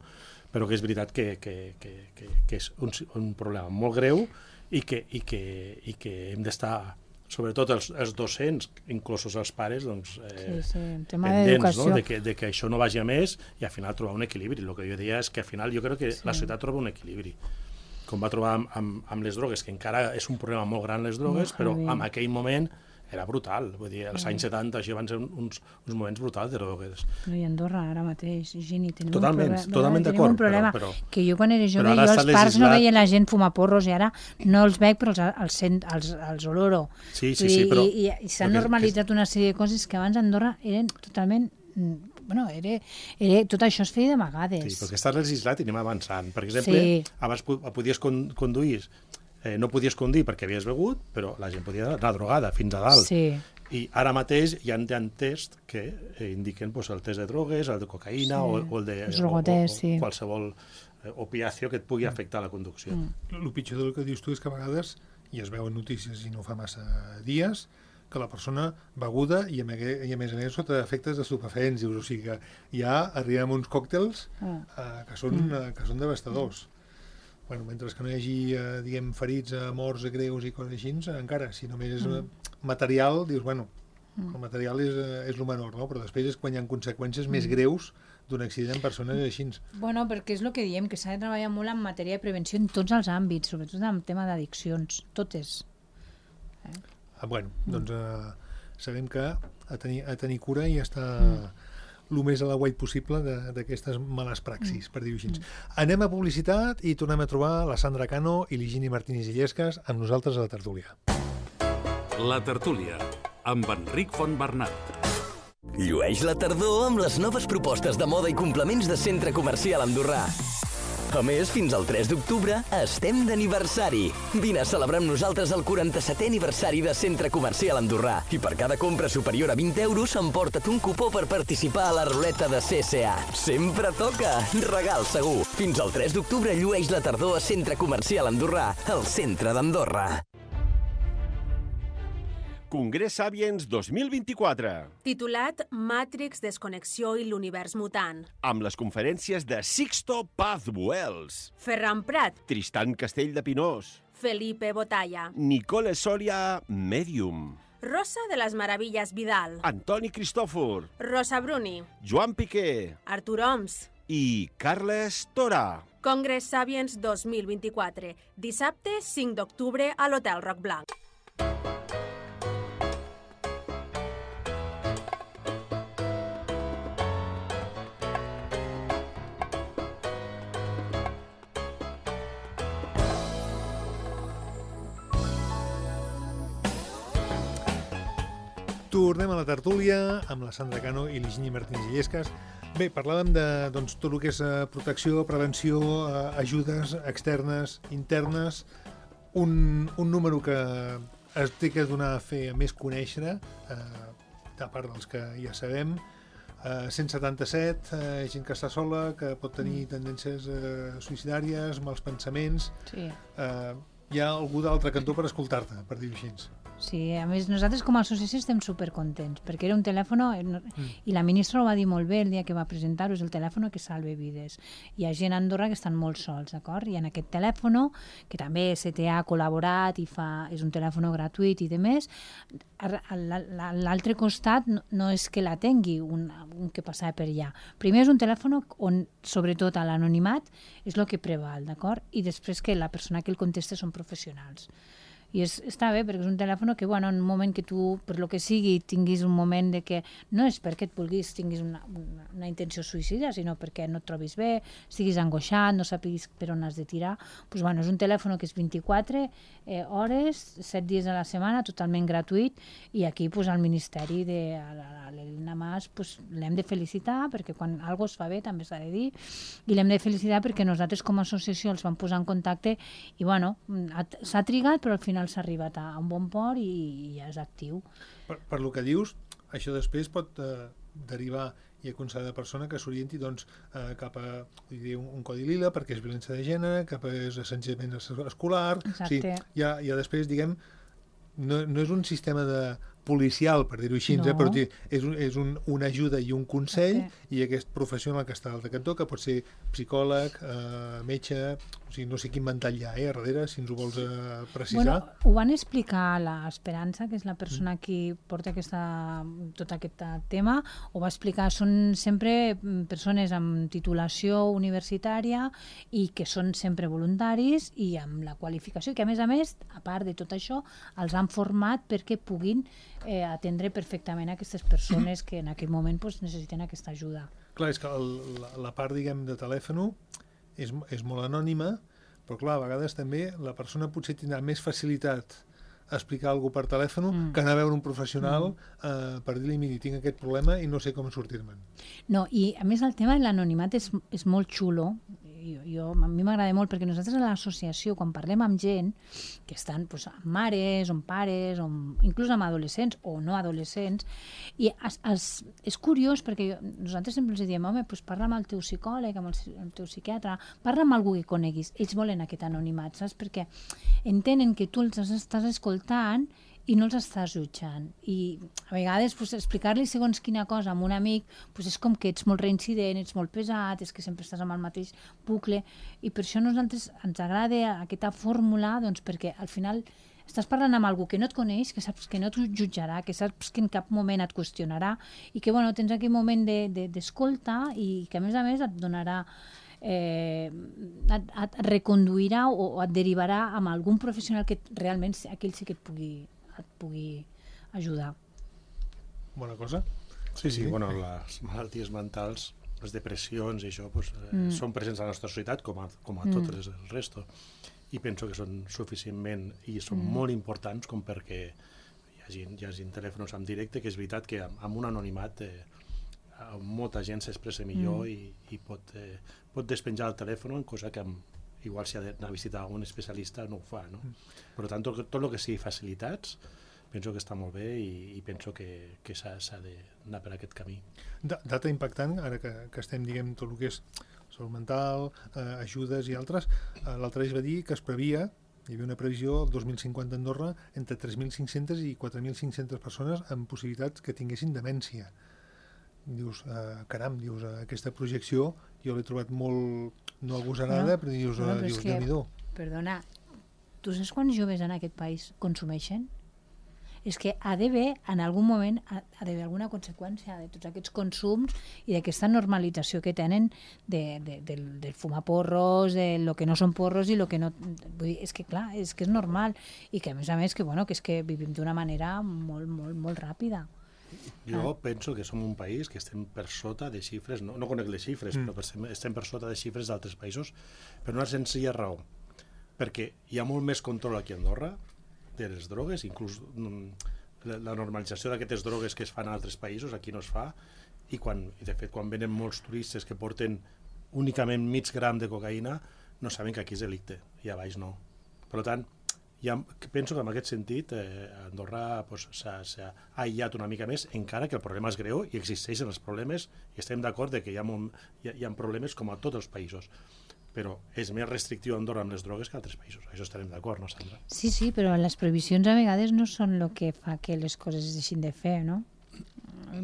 Speaker 4: Però que és veritat que, que, que, que, que és un, un problema molt greu i que, i que, i que hem d'estar, sobretot els, els docents, inclosos els pares, doncs, eh,
Speaker 3: sí, sí, tema
Speaker 4: pendents, no? de, que, de que això no vagi a més i al final trobar un equilibri. El que jo deia és que al final jo crec que sí. la societat troba un equilibri, com va trobar amb, amb, amb les drogues, que encara és un problema molt gran les drogues, molt però en aquell moment era brutal. Vull dir, als anys setanta això van ser uns, uns moments brutals de drogues.
Speaker 3: No, i Andorra ara mateix, Gini, tenim
Speaker 4: totalment,
Speaker 3: un problema,
Speaker 4: totalment
Speaker 3: tenim
Speaker 4: d'acord,
Speaker 3: un problema
Speaker 4: però, però,
Speaker 3: que jo quan era jove,
Speaker 4: jo
Speaker 3: als parcs no
Speaker 4: legislat...
Speaker 3: veia la gent fumar porros i ara no els veig, però els, els, els, els oloro.
Speaker 4: Sí, sí, sí, però...
Speaker 3: I, i, i s'ha normalitzat que... una sèrie de coses que abans a Andorra eren totalment... Bueno, era, era, tot això es feia d'amagades.
Speaker 4: Sí, perquè estàs legislat i anem avançant. Per exemple, sí. abans podies conduir, eh, no podies conduir perquè havies begut, però la gent podia anar drogada fins a dalt.
Speaker 3: Sí.
Speaker 4: I ara mateix hi ha, hi ha tests que eh, indiquen pues, el test de drogues, el de cocaïna sí. o, o el de
Speaker 3: o, o, sí.
Speaker 4: qualsevol eh, opiació que et pugui afectar la conducció.
Speaker 2: Mm. El pitjor del que dius tu és que a vegades, i es veuen notícies i no fa massa dies, que la persona beguda i a, i a més a més sota efectes d'estupefents, o sigui que ja arribem a uns còctels eh, que, són, mm. eh, que són devastadors. Bueno, mentre que no hi hagi, eh, diguem, ferits, eh, morts, eh, greus i coses així, encara, si només és mm. material, dius, bueno, mm. el material és, és el menor, no? Però després és quan hi ha conseqüències mm. més greus d'un accident en persones així.
Speaker 3: Bueno, perquè és el que diem, que s'ha de treballar molt en matèria de prevenció en tots els àmbits, sobretot en el tema d'addiccions, totes.
Speaker 2: Eh? Ah, bueno, mm. doncs eh, sabem que a tenir, a tenir cura i estar... Mm. el més a la guai possible d'aquestes males praxis, mm. per dir-ho així. Mm. Anem a publicitat i tornem a trobar la Sandra Cano i l'Higini Martínez Illescas amb nosaltres a la tertúlia.
Speaker 1: La tertúlia, amb Enric Fontbernat.
Speaker 5: Llueix la tardor amb les noves propostes de moda i complements de Centre Comercial Andorrà. A més, fins al tres d'octubre estem d'aniversari. Vine a celebrar amb nosaltres el quaranta-setè aniversari de Centre Comercial Andorrà i per cada compra superior a vint euros emporta't un cupó per participar a la ruleta de C C A. Sempre toca! Regal segur! Fins al tres d'octubre llueix la tardor a Centre Comercial Andorrà, el centre d'Andorra.
Speaker 6: Congrés Sapiens dos mil vint-i-quatre.
Speaker 7: Titulat Matrix, desconnexió i l'univers mutant.
Speaker 6: Amb les conferències de Sixto Paz Buells,
Speaker 7: Ferran Prat,
Speaker 6: Tristan Castell de Pinós,
Speaker 7: Felipe Botalla,
Speaker 6: Nicole Soria, Medium,
Speaker 7: Rosa de les Meravilles Vidal,
Speaker 6: Antoni Cristòfor,
Speaker 7: Rosa Bruni,
Speaker 6: Joan Piqué
Speaker 7: Artur Oms.
Speaker 6: i Carles Tora.
Speaker 7: Congrés Sapiens dos mil vint-i-quatre, dissabte cinc d'octubre a l'Hotel Roc Blanc.
Speaker 2: Tornem a la tertúlia amb la Sandra Cano i l'Higini Martínez Illescas. Bé, parlàvem de doncs, tot el que és eh, protecció, prevenció, eh, ajudes externes, internes, un, un número que es té que donar a fer a més conèixer, eh, a part dels que ja sabem, eh, cent setanta-set, eh, gent que està sola, que pot tenir tendències eh, suïcidàries, mals pensaments.
Speaker 3: Sí.
Speaker 2: Eh, hi ha algú d'altre cantó per escoltar-te, per dir-ho així.
Speaker 3: Sí, a més nosaltres com a associació estem supercontents perquè era un telèfon, mm. i la ministra ho va dir molt bé el dia que va presentar-ho, és el telèfon que salva vides. Hi ha gent a Andorra que estan molt sols, d'acord? I en aquest telèfon, que també S T A ha col·laborat i fa, és un telèfon gratuït i de més, l'altre costat no, no és que la tingui un, un que passava per allà. Primer és un telèfon on, sobretot a l'anonimat, és el que preval, d'acord? I després que la persona que el contesta són professionals. I és, està bé, perquè és un telèfon que, bueno, en un moment que tu, per lo que sigui, tinguis un moment de que no és perquè et vulguis, tinguis una, una, una intenció suïcida, sinó perquè no et trobis bé, estiguis angoixat, no sàpiguis per on has de tirar. Pues, bueno, és un telèfon que és vint-i-quatre eh, hores, set dies a la setmana, totalment gratuït, i aquí pues, al Ministeri de l'Helena Mas pues, l'hem de felicitar, perquè quan alguna cosa es fa bé també s'ha de dir, i l'hem de felicitar perquè nosaltres com a associació els vam posar en contacte i, bueno, s'ha trigat, però al final s'ha arribat a un bon port i, i ja és actiu.
Speaker 2: Per, per lo que dius, això després pot eh, derivar i aconsellar la persona que s'orienti doncs, eh, cap a dir, un, un codi lila perquè és violència de gènere, cap a assetjament escolar.
Speaker 3: Exacte.
Speaker 2: Sí, ja, ja després, diguem, no, no és un sistema de policial, per dir-ho així,
Speaker 3: no.
Speaker 2: eh, però és, un, és un, una ajuda i un consell,
Speaker 3: okay.
Speaker 2: i aquest professional que està al cantó, que pot ser psicòleg, eh, metge, o sigui, no sé quin ventall hi ha, eh, a darrere, si ens ho vols eh, precisar.
Speaker 3: Bueno, ho van explicar l'Esperança, que és la persona mm. qui porta aquesta, tot aquest tema, ho va explicar, són sempre persones amb titulació universitària i que són sempre voluntaris i amb la qualificació, i que a més a més, a part de tot això, els han format perquè puguin Eh, atendre perfectament aquestes persones que en aquell moment pues, necessiten aquesta ajuda.
Speaker 2: Clar, és que el, la, la part, diguem, de telèfon és, és molt anònima, però clar, a vegades també la persona potser tindrà més facilitat a explicar alguna cosa per telèfon mm. que anar a veure un professional mm. eh, per dir-li, miri, tinc aquest problema i no sé com sortir-me'n.
Speaker 3: No, i a més el tema de l'anonimat és, és molt xulo. Jo, jo, a mi m'agrada molt perquè nosaltres a l'associació, quan parlem amb gent que estan pues, amb mares, o amb pares, o amb, inclús amb adolescents o no adolescents, i es, es, és curiós perquè jo, nosaltres sempre els diem, home, pues parla amb el teu psicòleg, amb el, el teu psiquiatre, parla amb algú que coneguis. Ells volen aquest anonimat, saps? Perquè entenen que tu els estàs escoltant i no els estàs jutjant. I a vegades pues, explicar-li segons quina cosa a un amic pues, és com que ets molt reincident, ets molt pesat, és que sempre estàs amb el mateix bucle, i per això a nosaltres ens agrada aquesta fórmula, doncs, perquè al final estàs parlant amb algú que no et coneix, que saps que no et jutjarà, que saps que en cap moment et qüestionarà, i que bueno, tens aquell moment d'escolta de, de, i que a més a més et donarà Eh, et, et reconduirà o, o et derivarà amb algun professional que realment aquell sí que et pugui, et pugui ajudar.
Speaker 2: Bona cosa.
Speaker 4: Sí, sí, sí. Bueno, les malalties mentals, les depressions i això pues, eh, mm. són presents a la nostra societat com a, com a mm. tot el resto, i penso que són suficientment i són mm. molt importants com perquè hi hagi, hi hagi telèfons en directe, que és veritat que amb, amb un anonimat eh, molta gent s'expressa millor mm. i, i pot, eh, pot despenjar el telèfon, cosa que amb, igual si ha d'anar a visitar un especialista no ho fa, no? Mm. Per tant, tot, tot el que sigui facilitats penso que està molt bé i, i penso que, que s'ha d'anar per aquest camí.
Speaker 2: Da, data impactant, ara que, que estem, diguem, tot el que és salut mental, eh, ajudes i altres, eh, l'altre dia es va dir que es previa hi havia una previsió el dos mil cinquanta a Andorra entre tres mil cinc-centes i quatre mil cinc-centes persones amb possibilitats que tinguessin demència. Dius, eh, caram, dius, eh, aquesta projecció jo l'he trobat molt, no agosarada, no, però dius,
Speaker 3: no,
Speaker 2: eh,
Speaker 3: però
Speaker 2: dius
Speaker 3: que,
Speaker 2: Déu-n'hi-do.
Speaker 3: Perdona, tu saps quants joves en aquest país consumeixen? És que ha d'haver, en algun moment, ha, ha d'haver alguna conseqüència de tots aquests consums i d'aquesta normalització que tenen de, de, del, del fumar porros, de lo que no són porros i lo que no... Vull dir, és que clar, és que és normal i que a més a més que, bueno, que és que vivim d'una manera molt, molt, molt ràpida.
Speaker 4: Jo ah. penso que som un país que estem per sota de xifres, no, no conec les xifres, mm. però estem, estem per sota de xifres d'altres països per una senzilla raó, perquè hi ha molt més control aquí a Andorra de les drogues, inclús la, la normalització d'aquestes drogues que es fan a altres països, aquí no es fa, i quan, de fet, quan venen molts turistes que porten únicament mig gram de cocaïna, no saben que aquí és delicte, i a baix no. Per tant, ja penso que en aquest sentit eh, Andorra pues, s'ha aïllat una mica més, encara que el problema és greu i existeixen els problemes, i estem d'acord que hi ha, molt, hi, ha, hi ha problemes com a tots els països, però és més restrictiu Andorra amb les drogues que altres països. Això estarem d'acord, no, Sandra?
Speaker 3: Sí, sí, però les prohibicions a vegades no són el que fa que les coses es deixin de fer, no?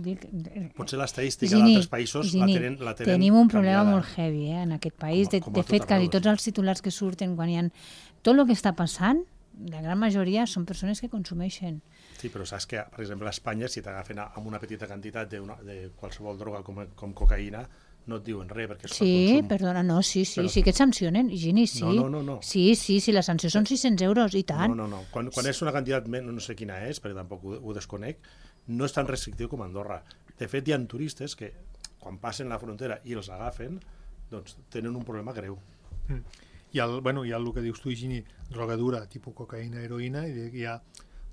Speaker 3: Dic,
Speaker 4: potser l'estadística d'altres països
Speaker 3: Gini,
Speaker 4: la tenen, la tenen
Speaker 3: tenim un problema
Speaker 4: canviada.
Speaker 3: molt heavy eh, en aquest país. De,
Speaker 4: com a, com a
Speaker 3: de fet, quasi
Speaker 4: arreu,
Speaker 3: tots els titulars que surten quan hi ha... Tot el que està passant, la gran majoria són persones que consumeixen.
Speaker 4: Sí, però saps que, per exemple, a Espanya, si t'agafen amb una petita quantitat de, una, de qualsevol droga com, com cocaïna, no et diuen res, perquè és
Speaker 3: sí,
Speaker 4: consum.
Speaker 3: Perdona, no, sí, sí,
Speaker 4: però...
Speaker 3: sí que et sancionen, Gini, sí.
Speaker 4: No, no, no, no.
Speaker 3: Sí, sí, sí, la sanció són sis-cents euros, i tant.
Speaker 4: No, no, no. Quan, quan és una quantitat, no sé quina és, perquè tampoc ho, ho desconec, no és tan restrictiu com a Andorra. De fet, hi ha turistes que, quan passen la frontera i els agafen, doncs tenen un problema greu.
Speaker 2: Mm. Hi ha, bueno, hi ha el que dius tu, Gini, droga dura, tipus cocaïna, heroïna, i hi ha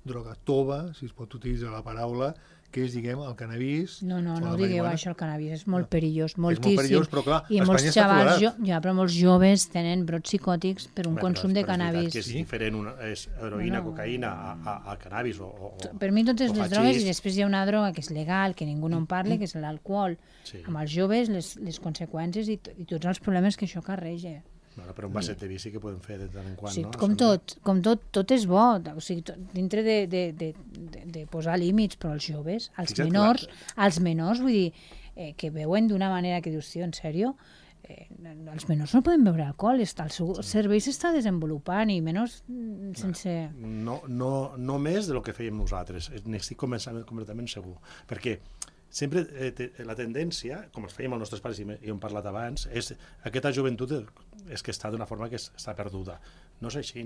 Speaker 2: droga tova, si es pot utilitzar la paraula, que és, diguem, el cannabis...
Speaker 3: No, no, no digueu això, el cannabis, és molt perillós, moltíssim.
Speaker 2: És molt perillós, però clar,
Speaker 3: I
Speaker 2: a
Speaker 3: molts
Speaker 2: Espanya està
Speaker 3: xavals,
Speaker 2: tolerat.
Speaker 3: jo, ja, però molts joves tenen brots psicòtics per un
Speaker 4: Home,
Speaker 3: consum de
Speaker 4: però
Speaker 3: cannabis.
Speaker 4: És, és diferent, una, és heroïna, bueno, cocaïna, a, a, a cannabis o, o...
Speaker 3: Per mi totes les
Speaker 4: hachís.
Speaker 3: drogues, i després hi ha una droga que és legal, que ningú no en parla, que és l'alcohol.
Speaker 4: Sí.
Speaker 3: Amb els joves, les, les conseqüències i, i tots els problemes que això carrega.
Speaker 4: Bueno, però un vaset de vi sí que podem fer de tant en quant,
Speaker 3: Sí,
Speaker 4: no?
Speaker 3: com tot, com tot, tot és bo, o sigui, tot, dintre de, de, de, de, de posar límits, però els joves, els
Speaker 4: Fixa't,
Speaker 3: menors,
Speaker 4: clar.
Speaker 3: els menors, vull dir, eh, que veuen d'una manera que dius, tio, en sèrio, eh, els menors no poden beure alcohol, està, el seu cervell s'està desenvolupant i menys sense...
Speaker 4: No, no, no més del que fèiem nosaltres, n'estic completament segur, perquè sempre eh, te, la tendència, com es fèiem els nostres pares i hem parlat abans, és aquesta joventut és que està d'una forma que es, està perduda. No és així.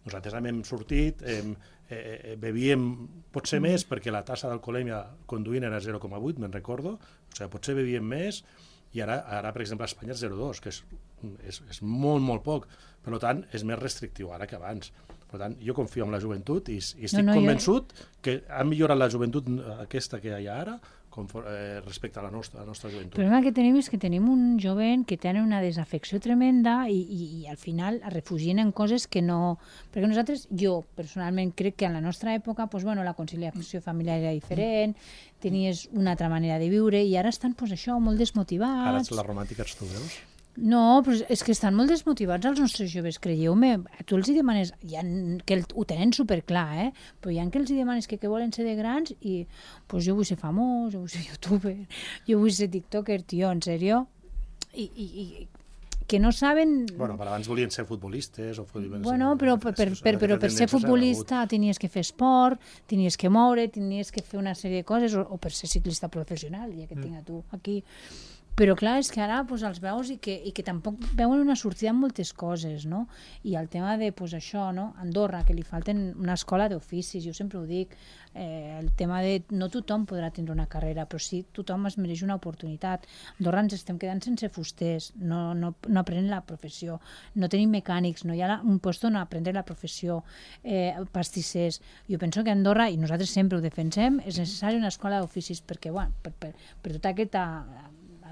Speaker 4: Nosaltres hem sortit, hem, eh, bevíem potser més perquè la tassa d'alcoholèmia conduint era zero coma vuit, me'n recordo, o sigui, potser bevíem més i ara, ara per exemple, a Espanya és zero coma dos, que és, és, és molt, molt poc. Per tant, és més restrictiu ara que abans. Per tant, jo confio en la joventut i, i estic no, no, convençut jo... que ha millorat la joventut aquesta que hi ha ara eh, respecte a la nostra, a la nostra joventut.
Speaker 3: El problema que tenim és que tenim un jovent que té una desafecció tremenda i, i, i al final es refugien en coses que no... Perquè nosaltres, jo personalment crec que en la nostra època pues, bueno, la conciliació familiar era diferent, tenies una altra manera de viure i ara estan pues, això molt desmotivats.
Speaker 4: Ara ets la romàntica, ets tu, veus?
Speaker 3: No, però és que estan molt desmotivats els nostres joves, creieu-me. Tu els hi demanes, ha, que el, ho tenen superclar, eh? Però hi ha que els hi demanes que, que volen ser de grans i pues, jo vull ser famós, jo vull ser youtuber, jo vull ser tiktoker, tio, en sèrio? I, i, i que no saben...
Speaker 4: Bueno, per abans volien ser futbolistes o futbolistes...
Speaker 3: Bueno, però per, per, per, però per ser futbolista tenies que fer esport, tenies que moure, tenies que fer una sèrie de coses, o, o per ser ciclista professional, ja que et tinc a tu aquí... Però clar, és que ara pues, els veus i que, i que tampoc veuen una sortida en moltes coses, no? I el tema de, pues, això, no? Andorra, que li falten una escola d'oficis, jo sempre ho dic, eh, el tema de no tothom podrà tindre una carrera, però sí tothom es mereix una oportunitat. A Andorra ens estem quedant sense fusters, no, no, no aprenen la professió, no tenim mecànics, no hi ha la, un lloc on aprendre la professió, eh, pastissers. Jo penso que a Andorra, i nosaltres sempre ho defensem, és necessari una escola d'oficis perquè, bueno, per, per, per tota aquesta...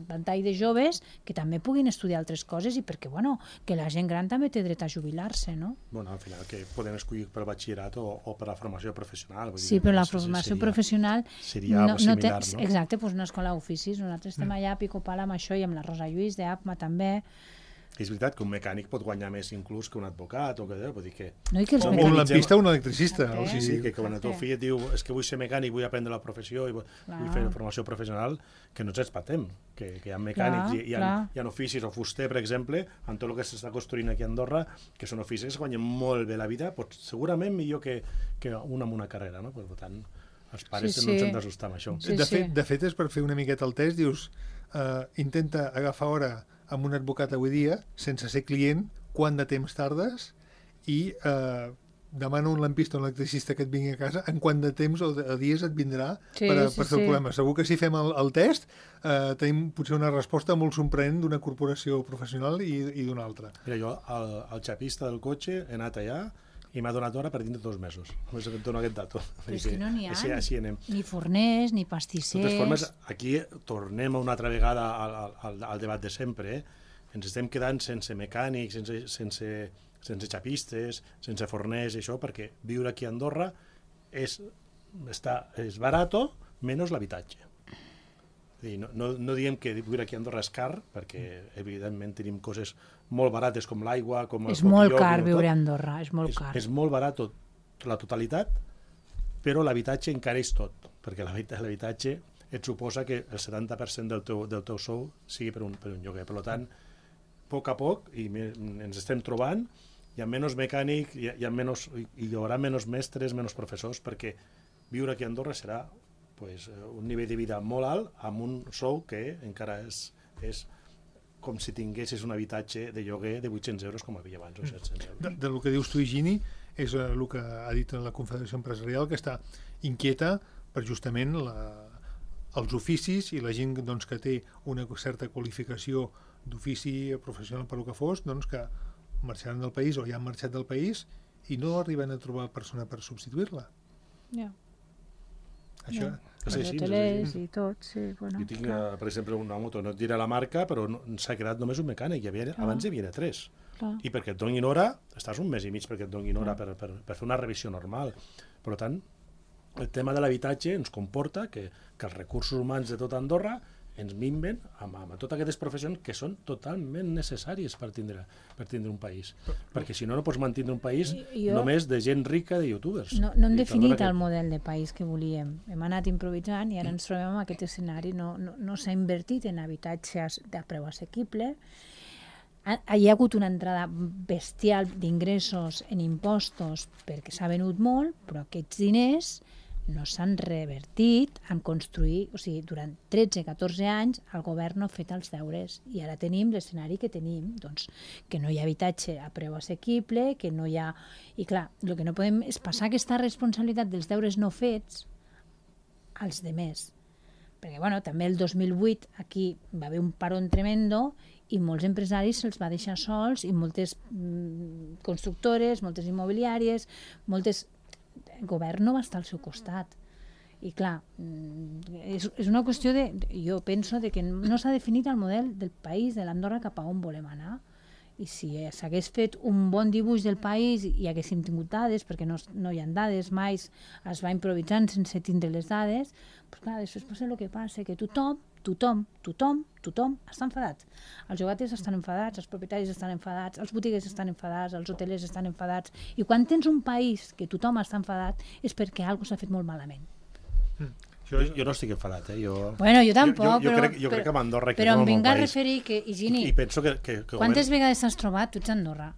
Speaker 3: ventall de joves que també puguin estudiar altres coses i perquè, bueno, que la gent gran també té dret a jubilar-se, no?
Speaker 4: Bueno, al final que poden escollir per batxillerat o, o per la formació professional. Vull
Speaker 3: sí,
Speaker 4: dir,
Speaker 3: però la
Speaker 4: seria,
Speaker 3: formació professional...
Speaker 4: Seria no, similar, no?
Speaker 3: Exacte, doncs una escola d'oficis. Nosaltres estem allà a pico pala amb això i amb la Rosa Lluís d'A P M A també,
Speaker 4: És veritat que un mecànic pot guanyar més inclús que un advocat, o que vull dir que...
Speaker 3: No, i que els
Speaker 2: O un
Speaker 3: mecànics...
Speaker 2: lampista o un electricista.
Speaker 3: Exacte.
Speaker 2: O
Speaker 4: Sí,
Speaker 2: sigui,
Speaker 4: sí, que quan el teu fill et diu és que vull ser mecànic, vull aprendre la professió i vull, vull fer formació professional, que no ens espatem, que, que hi ha mecànics,
Speaker 3: Clar,
Speaker 4: i, hi, ha,
Speaker 3: clar.
Speaker 4: hi ha oficis, o fuster, per exemple, amb tot el que s'està construint aquí a Andorra, que són oficis que guanyen molt bé la vida, pot, segurament millor que, que un amb una carrera, no? Per tant, els pares
Speaker 3: Sí,
Speaker 4: no ens
Speaker 3: sí.
Speaker 4: hem d'assustar amb això.
Speaker 3: Sí,
Speaker 2: de,
Speaker 3: sí.
Speaker 2: fet, de fet, és per fer una miqueta el test, dius, uh, intenta agafar hora amb un advocat avui dia, sense ser client, quant de temps tardes, i uh, demana un lampista o un electricista que et vingui a casa, en quant de temps o de o dies et vindrà
Speaker 3: Sí,
Speaker 2: per, a,
Speaker 3: sí,
Speaker 2: per fer
Speaker 3: sí.
Speaker 2: el problema. Segur que si fem el, el test, uh, tenim potser una resposta molt sorprenent d'una corporació professional i, i d'una altra.
Speaker 4: Mira, jo, al, al xapista del cotxe, he anat allà i m'ha donat hora per dintre dos mesos. Només em dono aquest dato.
Speaker 3: Però és que no n'hi ha.
Speaker 4: Així, així anem.
Speaker 3: Ni forners, ni
Speaker 4: De
Speaker 3: pastissers...
Speaker 4: totes formes, aquí tornem una altra vegada al, al, al debat de sempre. Eh? Ens estem quedant sense mecànics, sense, sense, sense xapistes, sense forners i això, perquè viure aquí a Andorra és, està, és barato menys l'habitatge. No, no, no diem que viure aquí a Andorra és car, perquè evidentment tenim coses molt barates com l'aigua, com el
Speaker 3: És molt
Speaker 4: cotilló,
Speaker 3: car
Speaker 4: com
Speaker 3: viure
Speaker 4: tot.
Speaker 3: a Andorra, és molt
Speaker 4: És,
Speaker 3: car.
Speaker 4: és molt barat tot, la totalitat, però l'habitatge encareix tot, perquè l'habita- l'habitatge et suposa que el setanta per cent del teu, del teu sou sigui per un, per un lloguer. Per tant, a poc a poc, i me, ens estem trobant, hi ha menys mecànic, hi ha, hi ha menys, hi haurà menys mestres, menys professors, perquè viure aquí a Andorra serà pues, un nivell de vida molt alt amb un sou que encara és, és com si tinguessis un habitatge de lloguer de vuit-cents euros com havia abans, o set-cents euros.
Speaker 2: De, de lo que dius tu, Higini, és eh, el que ha dit la Confederació Empresarial, que està inquieta per justament la, els oficis i la gent doncs, que té una certa qualificació d'ofici professional per lo que fos, doncs, que marxaran del país o ja han marxat del país i no arriben a trobar persona per substituir-la.
Speaker 3: Ja.
Speaker 2: Això,
Speaker 3: Ja.
Speaker 4: És
Speaker 3: Els
Speaker 4: així, és
Speaker 3: hotelers
Speaker 4: així.
Speaker 3: i tot, sí. Bueno,
Speaker 4: Jo tinc,
Speaker 3: clar,
Speaker 4: eh, per exemple, una moto, no et diré la marca, però no, s'ha quedat només un mecànic. Hi havia, abans hi havia tres.
Speaker 3: clar.
Speaker 4: I perquè et donin hora, estàs un mes i mig perquè et donin hora per, per, per fer una revisió normal. Per tant, el tema de l'habitatge ens comporta que, que els recursos humans de tot Andorra ens minven amb, amb totes aquestes professions que són totalment necessàries per tindre, per tindre un país. Perquè si no, no pots mantenir un país
Speaker 3: Jo-
Speaker 4: només de gent rica, de youtubers.
Speaker 3: No, no hem
Speaker 4: I
Speaker 3: definit
Speaker 4: perdona
Speaker 3: el
Speaker 4: que-
Speaker 3: model de país que volíem. Hem anat improvisant i ara ens trobem en aquest escenari. No, no, no s'ha invertit en habitatges de preu assequible. Ha- Hi ha hagut una entrada bestial d'ingressos en impostos perquè s'ha venut molt, però aquests diners no s'han revertit en construir, o sigui, durant tretze catorze anys el govern no ha fet els deures i ara tenim l'escenari que tenim, doncs, que no hi ha habitatge a preu assequible, que no hi ha... I clar, el que no podem és passar aquesta responsabilitat dels deures no fets als demés. Perquè, bueno, també el dos mil vuit aquí va haver un paron tremendo i molts empresaris se'ls va deixar sols i moltes mm, constructores, moltes immobiliàries, moltes... El govern no va estar al seu costat. I clar, mm, és, és una qüestió de... Jo penso de que no s'ha definit el model del país, de l'Andorra, cap a on volem anar. I si s'hagués fet un bon dibuix del país i haguéssim tingut dades, perquè no, no hi ha dades, mai es va improvisant sense tindre les dades, doncs clar, després passa el que passa, que tothom, tothom, tothom, tothom està enfadat. Els llogaters estan enfadats, els propietaris estan enfadats, els botiguers estan enfadats, els hotelers estan enfadats, i quan tens un país que tothom està enfadat és perquè alguna cosa s'ha fet molt malament.
Speaker 4: Jo, jo no estic enfadat, eh? Jo,
Speaker 3: Bueno, jo tampoc,
Speaker 4: jo, jo, jo
Speaker 3: però...
Speaker 4: crec, jo crec que amb Andorra aquí
Speaker 3: però
Speaker 4: som
Speaker 3: em
Speaker 4: un bon
Speaker 3: vinc a
Speaker 4: país.
Speaker 3: referir que, Higini,
Speaker 4: I, I penso que... que, que
Speaker 3: quantes
Speaker 4: govern-
Speaker 3: vegades t'has trobat, tu ets a Andorra,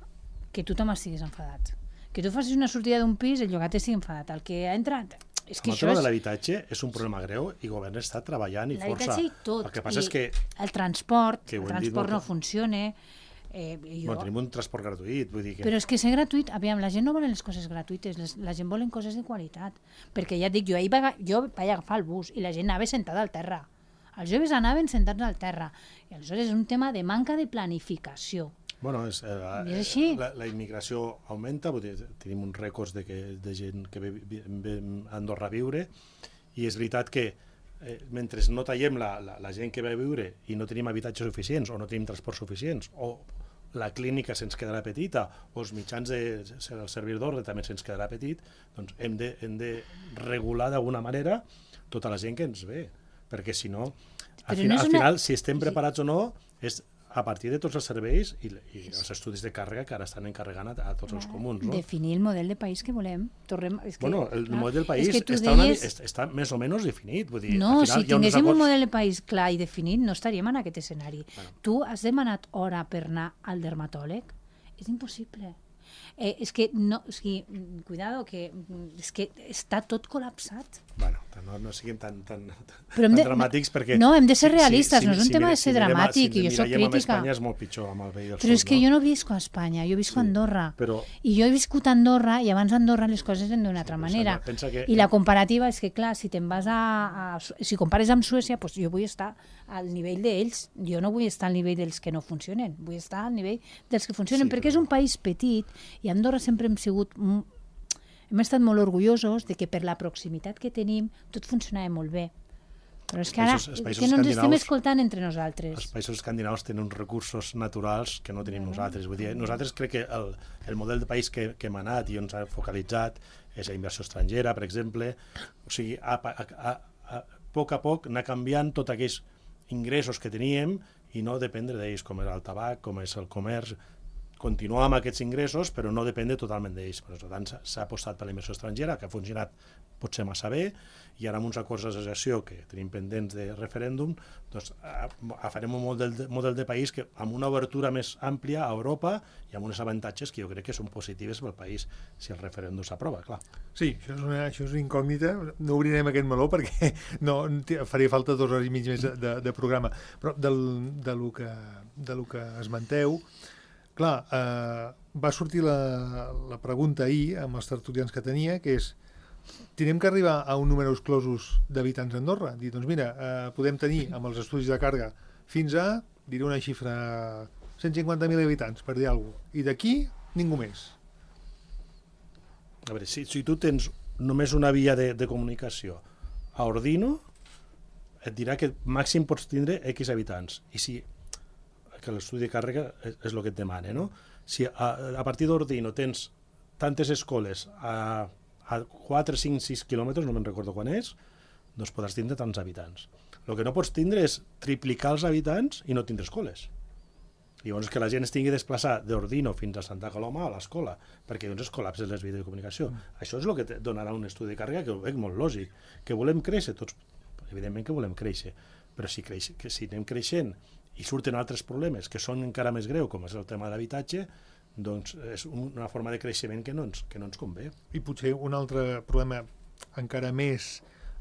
Speaker 3: que tothom estigués enfadat? Que tu facis una sortida d'un pis, el llogater sigui enfadat. El que ha entrat... És que
Speaker 4: Amb el
Speaker 3: això
Speaker 4: tema
Speaker 3: és...
Speaker 4: de l'habitatge és un problema greu i el govern està treballant i força.
Speaker 3: L'habitatge i tot.
Speaker 4: El que passa
Speaker 3: I
Speaker 4: és que
Speaker 3: el transport,
Speaker 4: que ho
Speaker 3: el
Speaker 4: hem dit
Speaker 3: transport no
Speaker 4: moltes-
Speaker 3: funciona. Eh, jo...
Speaker 4: bueno, tenim un transport gratuït, vull dir que...
Speaker 3: Però és que ser gratuït, aviam, la gent no vol les coses gratuïtes, les, la gent vol coses de qualitat. Perquè ja et dic, jo ahir vaig, jo vaig agafar el bus i la gent anava sentada al terra. Els joves anaven sentats al terra. I aleshores és un tema de manca de planificació.
Speaker 4: Bueno, és, eh,
Speaker 3: I és així.
Speaker 4: la, la immigració augmenta, vull dir, tenim uns rècords de, que, de gent que ve, ve, ve a Andorra a viure, i és veritat que eh, mentre no tallem la, la, la gent que ve a viure i no tenim habitatges suficients o no tenim transports suficients o la clínica se'ns quedarà petita o els mitjans de, el servei d'ordre també se'ns quedarà petit, doncs hem de, hem de regular d'alguna manera tota la gent que ens ve, perquè si no, al,
Speaker 3: Però
Speaker 4: final,
Speaker 3: no és
Speaker 4: al
Speaker 3: una-
Speaker 4: final si estem
Speaker 3: Sí.
Speaker 4: preparats o no, és a partir de tots els serveis i, i els estudis de càrrega que ara estan encarregant a, a tots els comuns. No?
Speaker 3: Definir el model de país que volem. Torrem, és que,
Speaker 4: bueno, el
Speaker 3: clar,
Speaker 4: model del país
Speaker 3: és que
Speaker 4: està,
Speaker 3: deies...
Speaker 4: una, està més o menys definit. Vull dir,
Speaker 3: No,
Speaker 4: al final,
Speaker 3: si tinguéssim
Speaker 4: acords...
Speaker 3: un model de país clar i definit, no estaríem en aquest escenari. Bueno. Tu has demanat hora per anar al dermatòleg? És impossible. Eh, és que, no, o sigui, cuidado, que és que està tot col·lapsat.
Speaker 4: Bueno, no, no siguem tan, tan,
Speaker 3: Però
Speaker 4: tan
Speaker 3: de,
Speaker 4: dramàtics perquè...
Speaker 3: No, hem de ser realistes,
Speaker 4: si, si,
Speaker 3: no és un
Speaker 4: si,
Speaker 3: tema
Speaker 4: si,
Speaker 3: de ser
Speaker 4: si
Speaker 3: dramàtic,
Speaker 4: si
Speaker 3: i jo soc crítica.
Speaker 4: Si Espanya és molt pitjor amb el veí del
Speaker 3: Però
Speaker 4: sud,
Speaker 3: és que
Speaker 4: no?
Speaker 3: jo no visco a Espanya, jo visco a Andorra.
Speaker 4: Sí, però...
Speaker 3: I jo he viscut a Andorra, i abans a Andorra les coses eren d'una altra
Speaker 4: Sí,
Speaker 3: manera.
Speaker 4: que...
Speaker 3: I la comparativa és que, clar, si te'n vas a, a... Si compares amb Suècia, doncs jo vull estar al nivell d'ells. Jo no vull estar al nivell dels que no funcionen, vull estar al nivell dels que funcionen,
Speaker 4: Sí,
Speaker 3: perquè
Speaker 4: però...
Speaker 3: és un país petit, i a Andorra sempre hem sigut... Hem estat molt orgullosos de que per la proximitat que tenim tot funcionava molt bé. Però és que ara
Speaker 4: països,
Speaker 3: que no ens estem escoltant entre nosaltres.
Speaker 4: Els països escandinaus tenen uns recursos naturals que no tenim no, nosaltres. Vull dir, nosaltres crec que el, el model de país que, que hem anat i on s'ha focalitzat és la inversió estrangera, per exemple. O sigui, a, a, a, a, a poc a poc anar canviant tots aquells ingressos que teníem i no dependre d'ells, com és el tabac, com és el comerç. Continuar amb aquests ingressos, però no dependre totalment d'ells. Per tant, s'ha apostat per la inversió estrangera, que ha funcionat potser massa bé, i ara amb uns acords d'associació que tenim pendents de referèndum, doncs farem un model de, model de país que, amb una obertura més àmplia a Europa i amb uns avantatges que jo crec que són positives pel país si el referèndum s'aprova, clar.
Speaker 2: Sí, això és, una, això és una incògnita. No obrirem aquest meló perquè no, faria falta dues hores i mig més de, de, de programa. Però del, de, lo que, de lo que esmenteu, clar, eh, va sortir la, la pregunta ahir amb els tertulians que tenia, que és, tenim que arribar a un número exclosos d'habitants a Andorra? Dir, doncs mira, eh, podem tenir amb els estudis de càrrega fins a, diré una xifra, cent cinquanta mil habitants, per dir alguna cosa. I d'aquí, ningú més.
Speaker 4: A veure, si, si tu tens només una via de, de comunicació a Ordino, et dirà que màxim pots tindre X habitants. I si que l'estudi de càrrega és, és el que et demana, no? Si a, a partir d'Ordino tens tantes escoles a, a quatre, cinc, sis quilòmetres, no me'n recordo quan és, doncs podràs tindre tants habitants. El que no pots tindre és triplicar els habitants i no tindre escoles. I llavors que la gent es tingui de desplaçar d'Ordino fins a Santa Coloma a l'escola, perquè llavors es col·lapsen les vies de comunicació. Mm. Això és el que te donarà un estudi de càrrega que ho veig molt lògic. Que volem créixer tots, evidentment que volem créixer, però si, creix, que si anem creixent i surten altres problemes que són encara més greus, com és el tema de l'habitatge, doncs és una forma de creixement que no ens, que no ens convé.
Speaker 2: I potser un altre problema encara més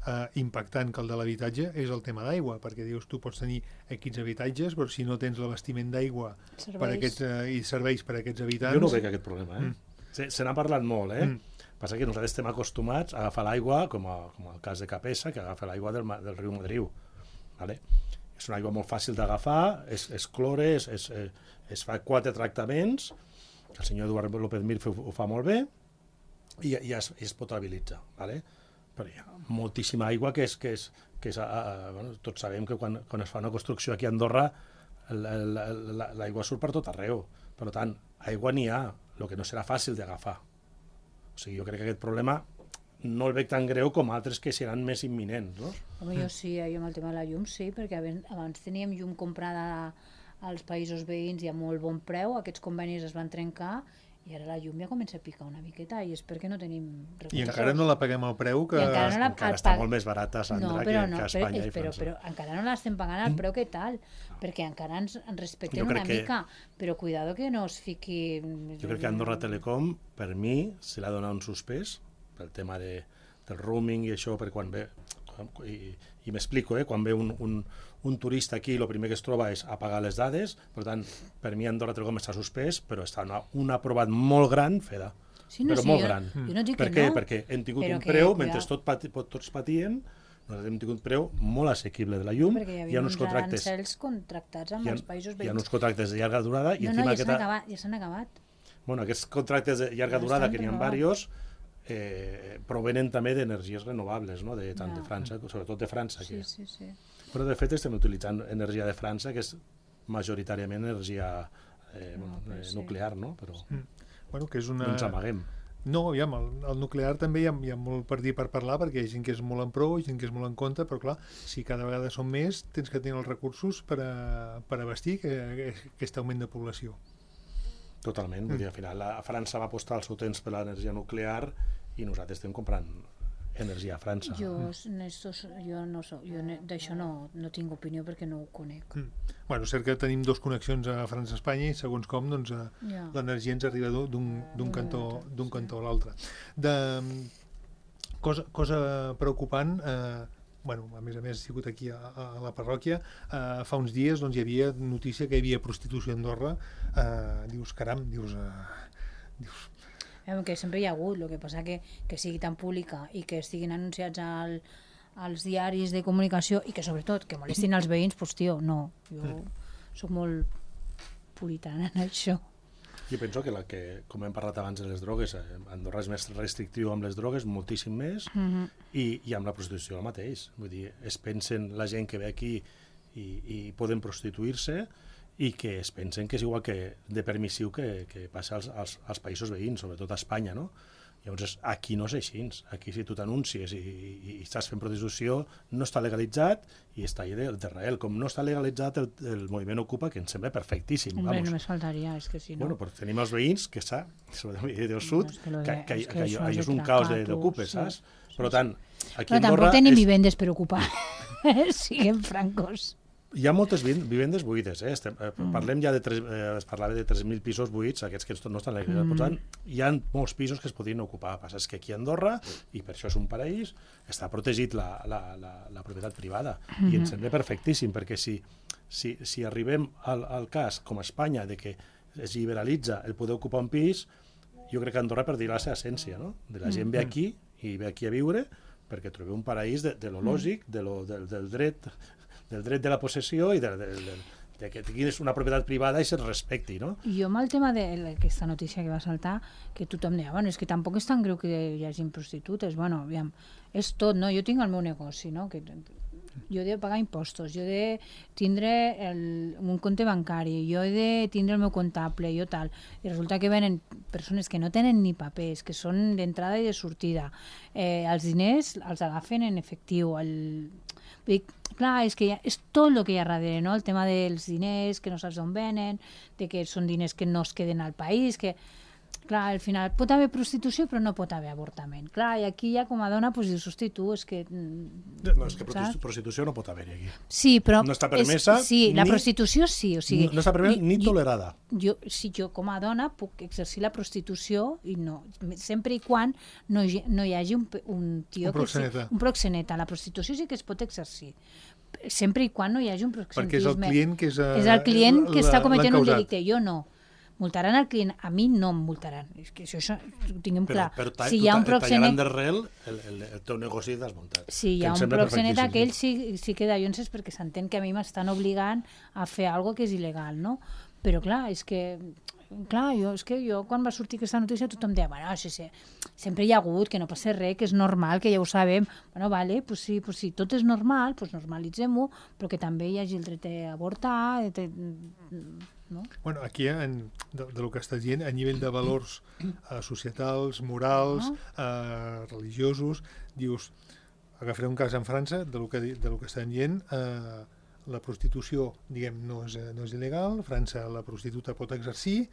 Speaker 2: eh, impactant que el de l'habitatge és el tema d'aigua, perquè dius, tu pots tenir equips habitatges, però si no tens l'abastiment d'aigua per aquests, eh, i serveis per a aquests habitants...
Speaker 4: Jo no veig aquest problema, eh? Mm. Se, se n'ha parlat molt, eh? Mm. Passa que nosaltres estem acostumats a agafar l'aigua, com, a, com el cas de Capessa, que agafa l'aigua del, del riu Madriu, ¿vale? És una aigua molt fàcil d'agafar, es, es clore, es, es, es fa quatre tractaments, el senyor Eduard López Mir ho fa molt bé, i, i, es, i es potabilitza. ¿Vale? Però hi ha moltíssima aigua que és... Que és, que és a, a, bueno, tots sabem que quan, quan es fa una construcció aquí a Andorra l'aigua surt per tot arreu. Per tant, aigua n'hi ha, el que no serà fàcil d'agafar. O sigui, jo crec que aquest problema no el veig tan greu com altres que seran més imminents, no?
Speaker 3: Home, jo sí, jo amb el tema de la llum sí, perquè abans teníem llum comprada als països veïns i a molt bon preu, aquests convenis es van trencar i ara la llum ja comença a picar una miqueta i és perquè no tenim recursos.
Speaker 2: I encara no la paguem al preu que...
Speaker 3: I encara no la,
Speaker 4: encara està pag... molt més barata, Sandra,
Speaker 3: no,
Speaker 4: que,
Speaker 3: no,
Speaker 4: que a Espanya
Speaker 3: però,
Speaker 4: i França.
Speaker 3: Però, però encara no l'estem pagant al preu que tal, perquè encara ens, ens respecten una
Speaker 4: que...
Speaker 3: mica, però cuidado que no es fiqui...
Speaker 4: Jo crec que Andorra Telecom, per mi, se l'ha donat un suspès pel tema de, del roaming i això, per quan ve... I, i m'explico, eh? Quan ve un, un, un turista aquí, el primer que es troba és apagar les dades, per tant, per mi Andorra Telecom està suspès, però està una, un aprovat molt gran, Feda,
Speaker 3: sí, no,
Speaker 4: però
Speaker 3: sí,
Speaker 4: molt
Speaker 3: jo,
Speaker 4: gran.
Speaker 3: Jo no dic
Speaker 4: per
Speaker 3: que
Speaker 4: què?
Speaker 3: no,
Speaker 4: Perquè hem tingut un
Speaker 3: que,
Speaker 4: preu,
Speaker 3: cuidado.
Speaker 4: mentre tot pati, tots patien, nosaltres hem tingut un preu molt assequible de la llum.
Speaker 3: Perquè hi
Speaker 4: havia
Speaker 3: havia
Speaker 4: uns
Speaker 3: uns
Speaker 4: contractes,
Speaker 3: arancels contractats amb
Speaker 4: ha,
Speaker 3: els països veïns.
Speaker 4: Hi ha uns contractes de llarga durada. I
Speaker 3: no, no, ja
Speaker 4: aquesta...
Speaker 3: s'han acabat, ja s'han acabat.
Speaker 4: Bueno, aquests contractes de llarga
Speaker 3: ja
Speaker 4: durada, que n'hi ha
Speaker 3: renovables.
Speaker 4: diversos, eh, provenen també d'energies renovables, no? de, tant
Speaker 3: ja.
Speaker 4: de França, sobretot de França.
Speaker 3: Sí,
Speaker 4: Que...
Speaker 3: sí, sí.
Speaker 4: Però de fet estem utilitzant energia de França, que és majoritàriament energia eh, no, eh,
Speaker 3: sí.
Speaker 4: nuclear, no? Però
Speaker 2: mm. bueno, que és una...
Speaker 4: no ens amaguem.
Speaker 2: No, aviam, el, el nuclear també hi ha, hi ha molt per dir per parlar, perquè hi ha gent que és molt en pro, gent que és molt en contra, però clar, si cada vegada són més, tens que tenir els recursos per, a, per abastir que, que, aquest augment de població.
Speaker 4: Totalment, vull dir, al final la França va apostar el seu temps per l'energia nuclear i nosaltres estem comprant energia a França.
Speaker 3: Jo, Nestos, jo no so, jo d'això no, no tinc opinió perquè no ho conec.
Speaker 2: Mm. Bueno, és cert que tenim dos connexions a França-Espanya i segons com doncs, ja. l'energia ens arriba d'un cantó, d'un cantó a l'altre. De cosa, cosa preocupant, eh, bueno, a més a més he sigut aquí a, a la parròquia, eh, fa uns dies doncs, hi havia notícia que hi havia prostitució a Andorra, eh, dius, caram, dius... Eh, dius
Speaker 3: que sempre hi ha hagut, el que passa que, que sigui tan pública i que estiguin anunciats al, als diaris de comunicació i que sobretot que molestin els veïns, doncs tio, no, jo mm. soc molt puritana en això.
Speaker 4: Jo penso que, la que, com hem parlat abans de les drogues, Andorra és més restrictiu amb les drogues, moltíssim més, mm-hmm. i, i amb la prostitució el mateix. Vull dir, es pensen la gent que ve aquí i, i poden prostituir-se, i que es pensen que és igual que de permissiu que, que passa als, als, als països veïns, sobretot a Espanya, no? Llavors, aquí no és així. Aquí, si tu t'anuncies i, i, i estàs fent prostitució, no està legalitzat i està allà d'Israel. Com no està legalitzat el, el moviment Ocupa, que ens sembla perfectíssim.
Speaker 3: Hombre,
Speaker 4: vamos.
Speaker 3: només faltaria, és que si no...
Speaker 4: Bueno, però tenim els veïns, que està, sobretot del sud,
Speaker 3: no, que,
Speaker 4: que, que,
Speaker 3: és
Speaker 4: que,
Speaker 3: que
Speaker 4: allò és un caos d'ocupes,
Speaker 3: sí,
Speaker 4: saps?
Speaker 3: Sí,
Speaker 4: per tant, aquí
Speaker 3: però
Speaker 4: a Andorra...
Speaker 3: tampoc tenim
Speaker 4: és...
Speaker 3: vivendes per ocupar, siguem francos.
Speaker 4: Hi ha moltes vivendes buides, eh? Estem, eh, parlem ja de tres, eh, es parlava de tres mil pisos buits, aquests que no estan legalitzats. Mm. Per tant, hi ha molts pisos que es podrien ocupar. El que passa és que aquí a Andorra, i per això és un paraís, està protegit la, la, la, la propietat privada. Mm. I ens sembla perfectíssim, perquè si, si, si arribem al, al cas, com a Espanya, de que es liberalitza el poder ocupar un pis, jo crec que Andorra perdirà la seva essència, no? De la gent ve aquí i ve aquí a viure perquè trobeu un paraís de, de lo lògic, de lo, del, del dret del dret de la possessió i de, de, de, de que tinguis una propietat privada i se't respecti, no?
Speaker 3: Jo amb el tema d'aquesta notícia que va saltar, que tothom deia, bueno, és que tampoc és tan greu que hi hagi prostitutes, bueno, aviam, és tot, no? Jo tinc el meu negoci, no? Que jo he de pagar impostos, jo he de tindre el, un compte bancari, jo he de tindre el meu comptable, jo tal, i resulta que venen persones que no tenen ni papers, que són d'entrada i de sortida, eh, els diners els agafen en efectiu, el... Vull dir, clar, és que ha, és tot el que hi ha darrere, no? El tema dels diners, que no saps d'on venen, de que són diners que no es queden al país, que, clar, al final pot haver prostitució però no pot haver avortament. Clar, i aquí ja com a dona doncs dius, hosti, tu, és que...
Speaker 4: No, és que saps? Prostitució no pot haver-hi aquí.
Speaker 3: Sí, però...
Speaker 4: No està permesa...
Speaker 3: És, sí, la ni, prostitució sí, o sigui...
Speaker 4: No està permesa ni tolerada.
Speaker 3: Jo, si jo com a dona puc exercir la prostitució i no, sempre i quan no, no hi hagi un, un tio...
Speaker 2: Un proxeneta.
Speaker 3: Que sí, un proxeneta. La prostitució sí que es pot exercir, sempre i quan no hi hagi un proxenetisme.
Speaker 2: Perquè és el client que és... A,
Speaker 3: és el client que està cometent un
Speaker 2: l'encausat.
Speaker 3: delicte, jo no. Multaran el client, a mi no em multaran. És que això, això ho tinguem
Speaker 4: però,
Speaker 3: clar.
Speaker 4: Però ta,
Speaker 3: si hi ha un
Speaker 4: proxenet... tallaran d'arrel el, el, el teu negoci desmuntat.
Speaker 3: Si hi ha un proxenet, aquell sí, sí que dallonses perquè s'entén que a mi m'estan obligant a fer alguna que és il·legal, no? Però clar, és que... Clar, jo, és que jo quan va sortir aquesta notícia tothom deia, bueno, sí, sí, sempre hi ha hagut, que no passa res, que és normal, que ja ho sabem. Bueno, vale, pues sí, pues sí, tot és normal, pues normalitzem-ho, però que també hi hagi el dret a avortar, de, no?
Speaker 2: Bueno, aquí, en, de, de lo que estàs dient, a nivell de valors eh, societals, morals, eh, religiosos, dius, agafaré un cas en França, de lo que, de lo que estan dient, eh, la prostitució, diguem, no és, no és il·legal, a França la prostituta pot exercir,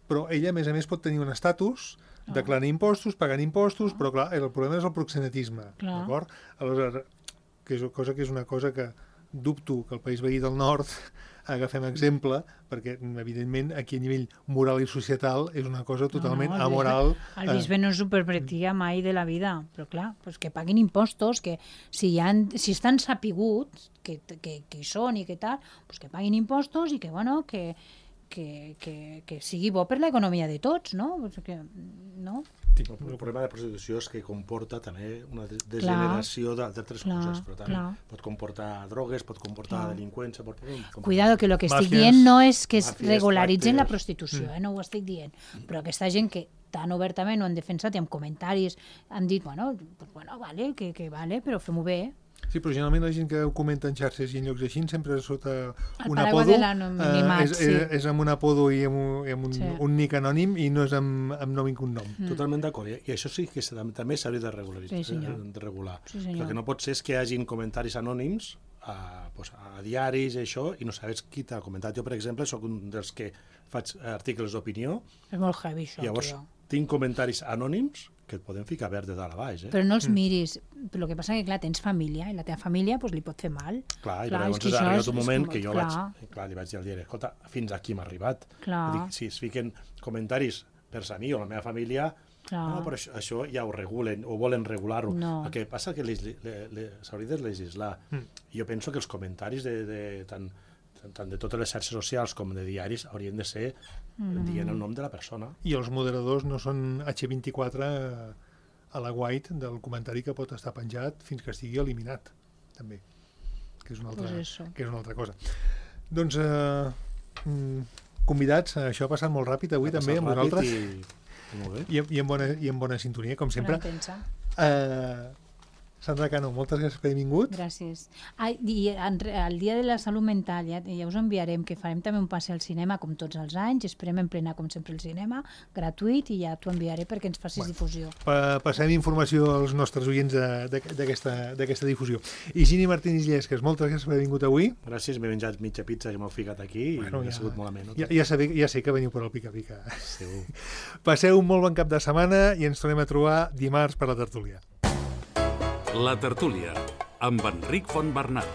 Speaker 2: però ella, a més a més, pot tenir un estatus, oh. declarar impostos, pagant impostos, oh. però clar, el problema és el proxenetisme, d'acord? Aleshores, que és cosa que és una cosa que dubto que el país veí del nord agafem exemple, perquè evidentment aquí a nivell moral i societal és una cosa totalment no, no, el amoral.
Speaker 3: Bisbe, el bisbe no s'ho permetria mai de la vida, però clar, pues que paguin impostos, que si, ha, si estan sapiguts que, que, que hi són i que tal, pues que paguin impostos i que, bueno, que, que, que, que sigui bo per l'economia de tots, no? Pues que, no?
Speaker 4: Sí, el problema de la prostitució és que comporta també una degeneració d'altres coses, per tant, clar. Pot comportar drogues, pot comportar clar. delinqüència... Pot comportar...
Speaker 3: Cuidado, que el que estic Màfies, dient no és que es regularitzen la prostitució, eh? No ho estic dient, però aquesta gent que tan obertament ho han defensat i amb comentaris han dit, bueno, pues bueno, vale, que, que vale, però fem-ho bé.
Speaker 2: Sí, però generalment la gent que ho comenta en xarxes i en llocs així sempre sota
Speaker 3: El
Speaker 2: un
Speaker 3: paraigua
Speaker 2: apodo
Speaker 3: de l'anonimat,
Speaker 2: és,
Speaker 3: sí.
Speaker 2: és, és amb un apodo i amb un, i amb un,
Speaker 3: Sí.
Speaker 2: un nick anònim i no és amb, amb nom i cognom.
Speaker 3: Mm.
Speaker 4: Totalment d'acord. I I això sí que s'ha- també s'hauria de regular.
Speaker 3: Sí, senyor.
Speaker 4: de regular.
Speaker 3: Sí, senyor.
Speaker 4: El que no pot ser és que hi hagin comentaris anònims a, pues, a diaris i això, i no sabes qui t'ha comentat. Jo, per exemple, sóc un dels que faig articles d'opinió,
Speaker 3: És molt heavy, això,
Speaker 4: llavors
Speaker 3: tio.
Speaker 4: tinc comentaris anònims que et poden ficar verd de dalt a baix. Eh?
Speaker 3: Però no els miris. Però el que passa que, clar, tens família, i la teva família pues, li pot fer mal.
Speaker 4: Clar, i
Speaker 3: Clar,
Speaker 4: llavors
Speaker 3: és que
Speaker 4: ha
Speaker 3: això
Speaker 4: arribat
Speaker 3: és-
Speaker 4: un
Speaker 3: és
Speaker 4: moment
Speaker 3: com-
Speaker 4: que jo
Speaker 3: clar.
Speaker 4: vaig, clar, li vaig dir al diari, escolta, fins aquí m'ha arribat.
Speaker 3: Clar.
Speaker 4: Dic, si es fiquen comentaris vers a mi o a la meva família,
Speaker 3: Clar.
Speaker 4: no, però això, això ja ho regulen, o volen regular-ho.
Speaker 3: No.
Speaker 4: El que passa que les- le- le- s'hauria de legislar. Mm. Jo penso que els comentaris de, de, tant, tant de totes les xarxes socials com de diaris haurien de ser mm. dient el nom de la persona.
Speaker 2: I els moderadors no són hache vint-i-quatre a la white del comentari que pot estar penjat fins que estigui eliminat, també, que és una altra,
Speaker 3: Pues eso.
Speaker 2: que és una altra cosa. Doncs, eh, mm, convidats, això ha passat molt ràpid avui
Speaker 4: Ha
Speaker 2: també
Speaker 4: passat
Speaker 2: amb
Speaker 4: ràpid
Speaker 2: vosaltres
Speaker 4: I, i molt bé.
Speaker 2: i, i, en bona, i en bona sintonia, com sempre.
Speaker 3: Bona intensa.
Speaker 2: Eh, Sandra Cano, moltes gràcies per haver vingut.
Speaker 3: Gràcies. Ai, i en, re- el dia de la salut mental ja, ja us enviarem, que farem també un passe al cinema com tots els anys, esperem emplenar com sempre el cinema, gratuït, i ja t'ho enviaré perquè ens facis
Speaker 2: Bueno.
Speaker 3: difusió.
Speaker 2: Pa passem informació als nostres oients de- de- d'aquesta d'aquesta difusió. I Gini Martínez Llesques, moltes gràcies per haver vingut avui.
Speaker 4: Gràcies, m'he menjat mitja pizza que m'heu ficat aquí
Speaker 2: Bueno,
Speaker 4: i
Speaker 2: ja-
Speaker 4: ha sigut molt amè. No?
Speaker 2: Ja, ja, sé, ja sé que veniu per al pica-pica.
Speaker 4: Segur.
Speaker 2: Passeu un molt bon cap de setmana i ens tornem a trobar dimarts per la tertúlia.
Speaker 1: La tertúlia, amb Enric Fontbernat.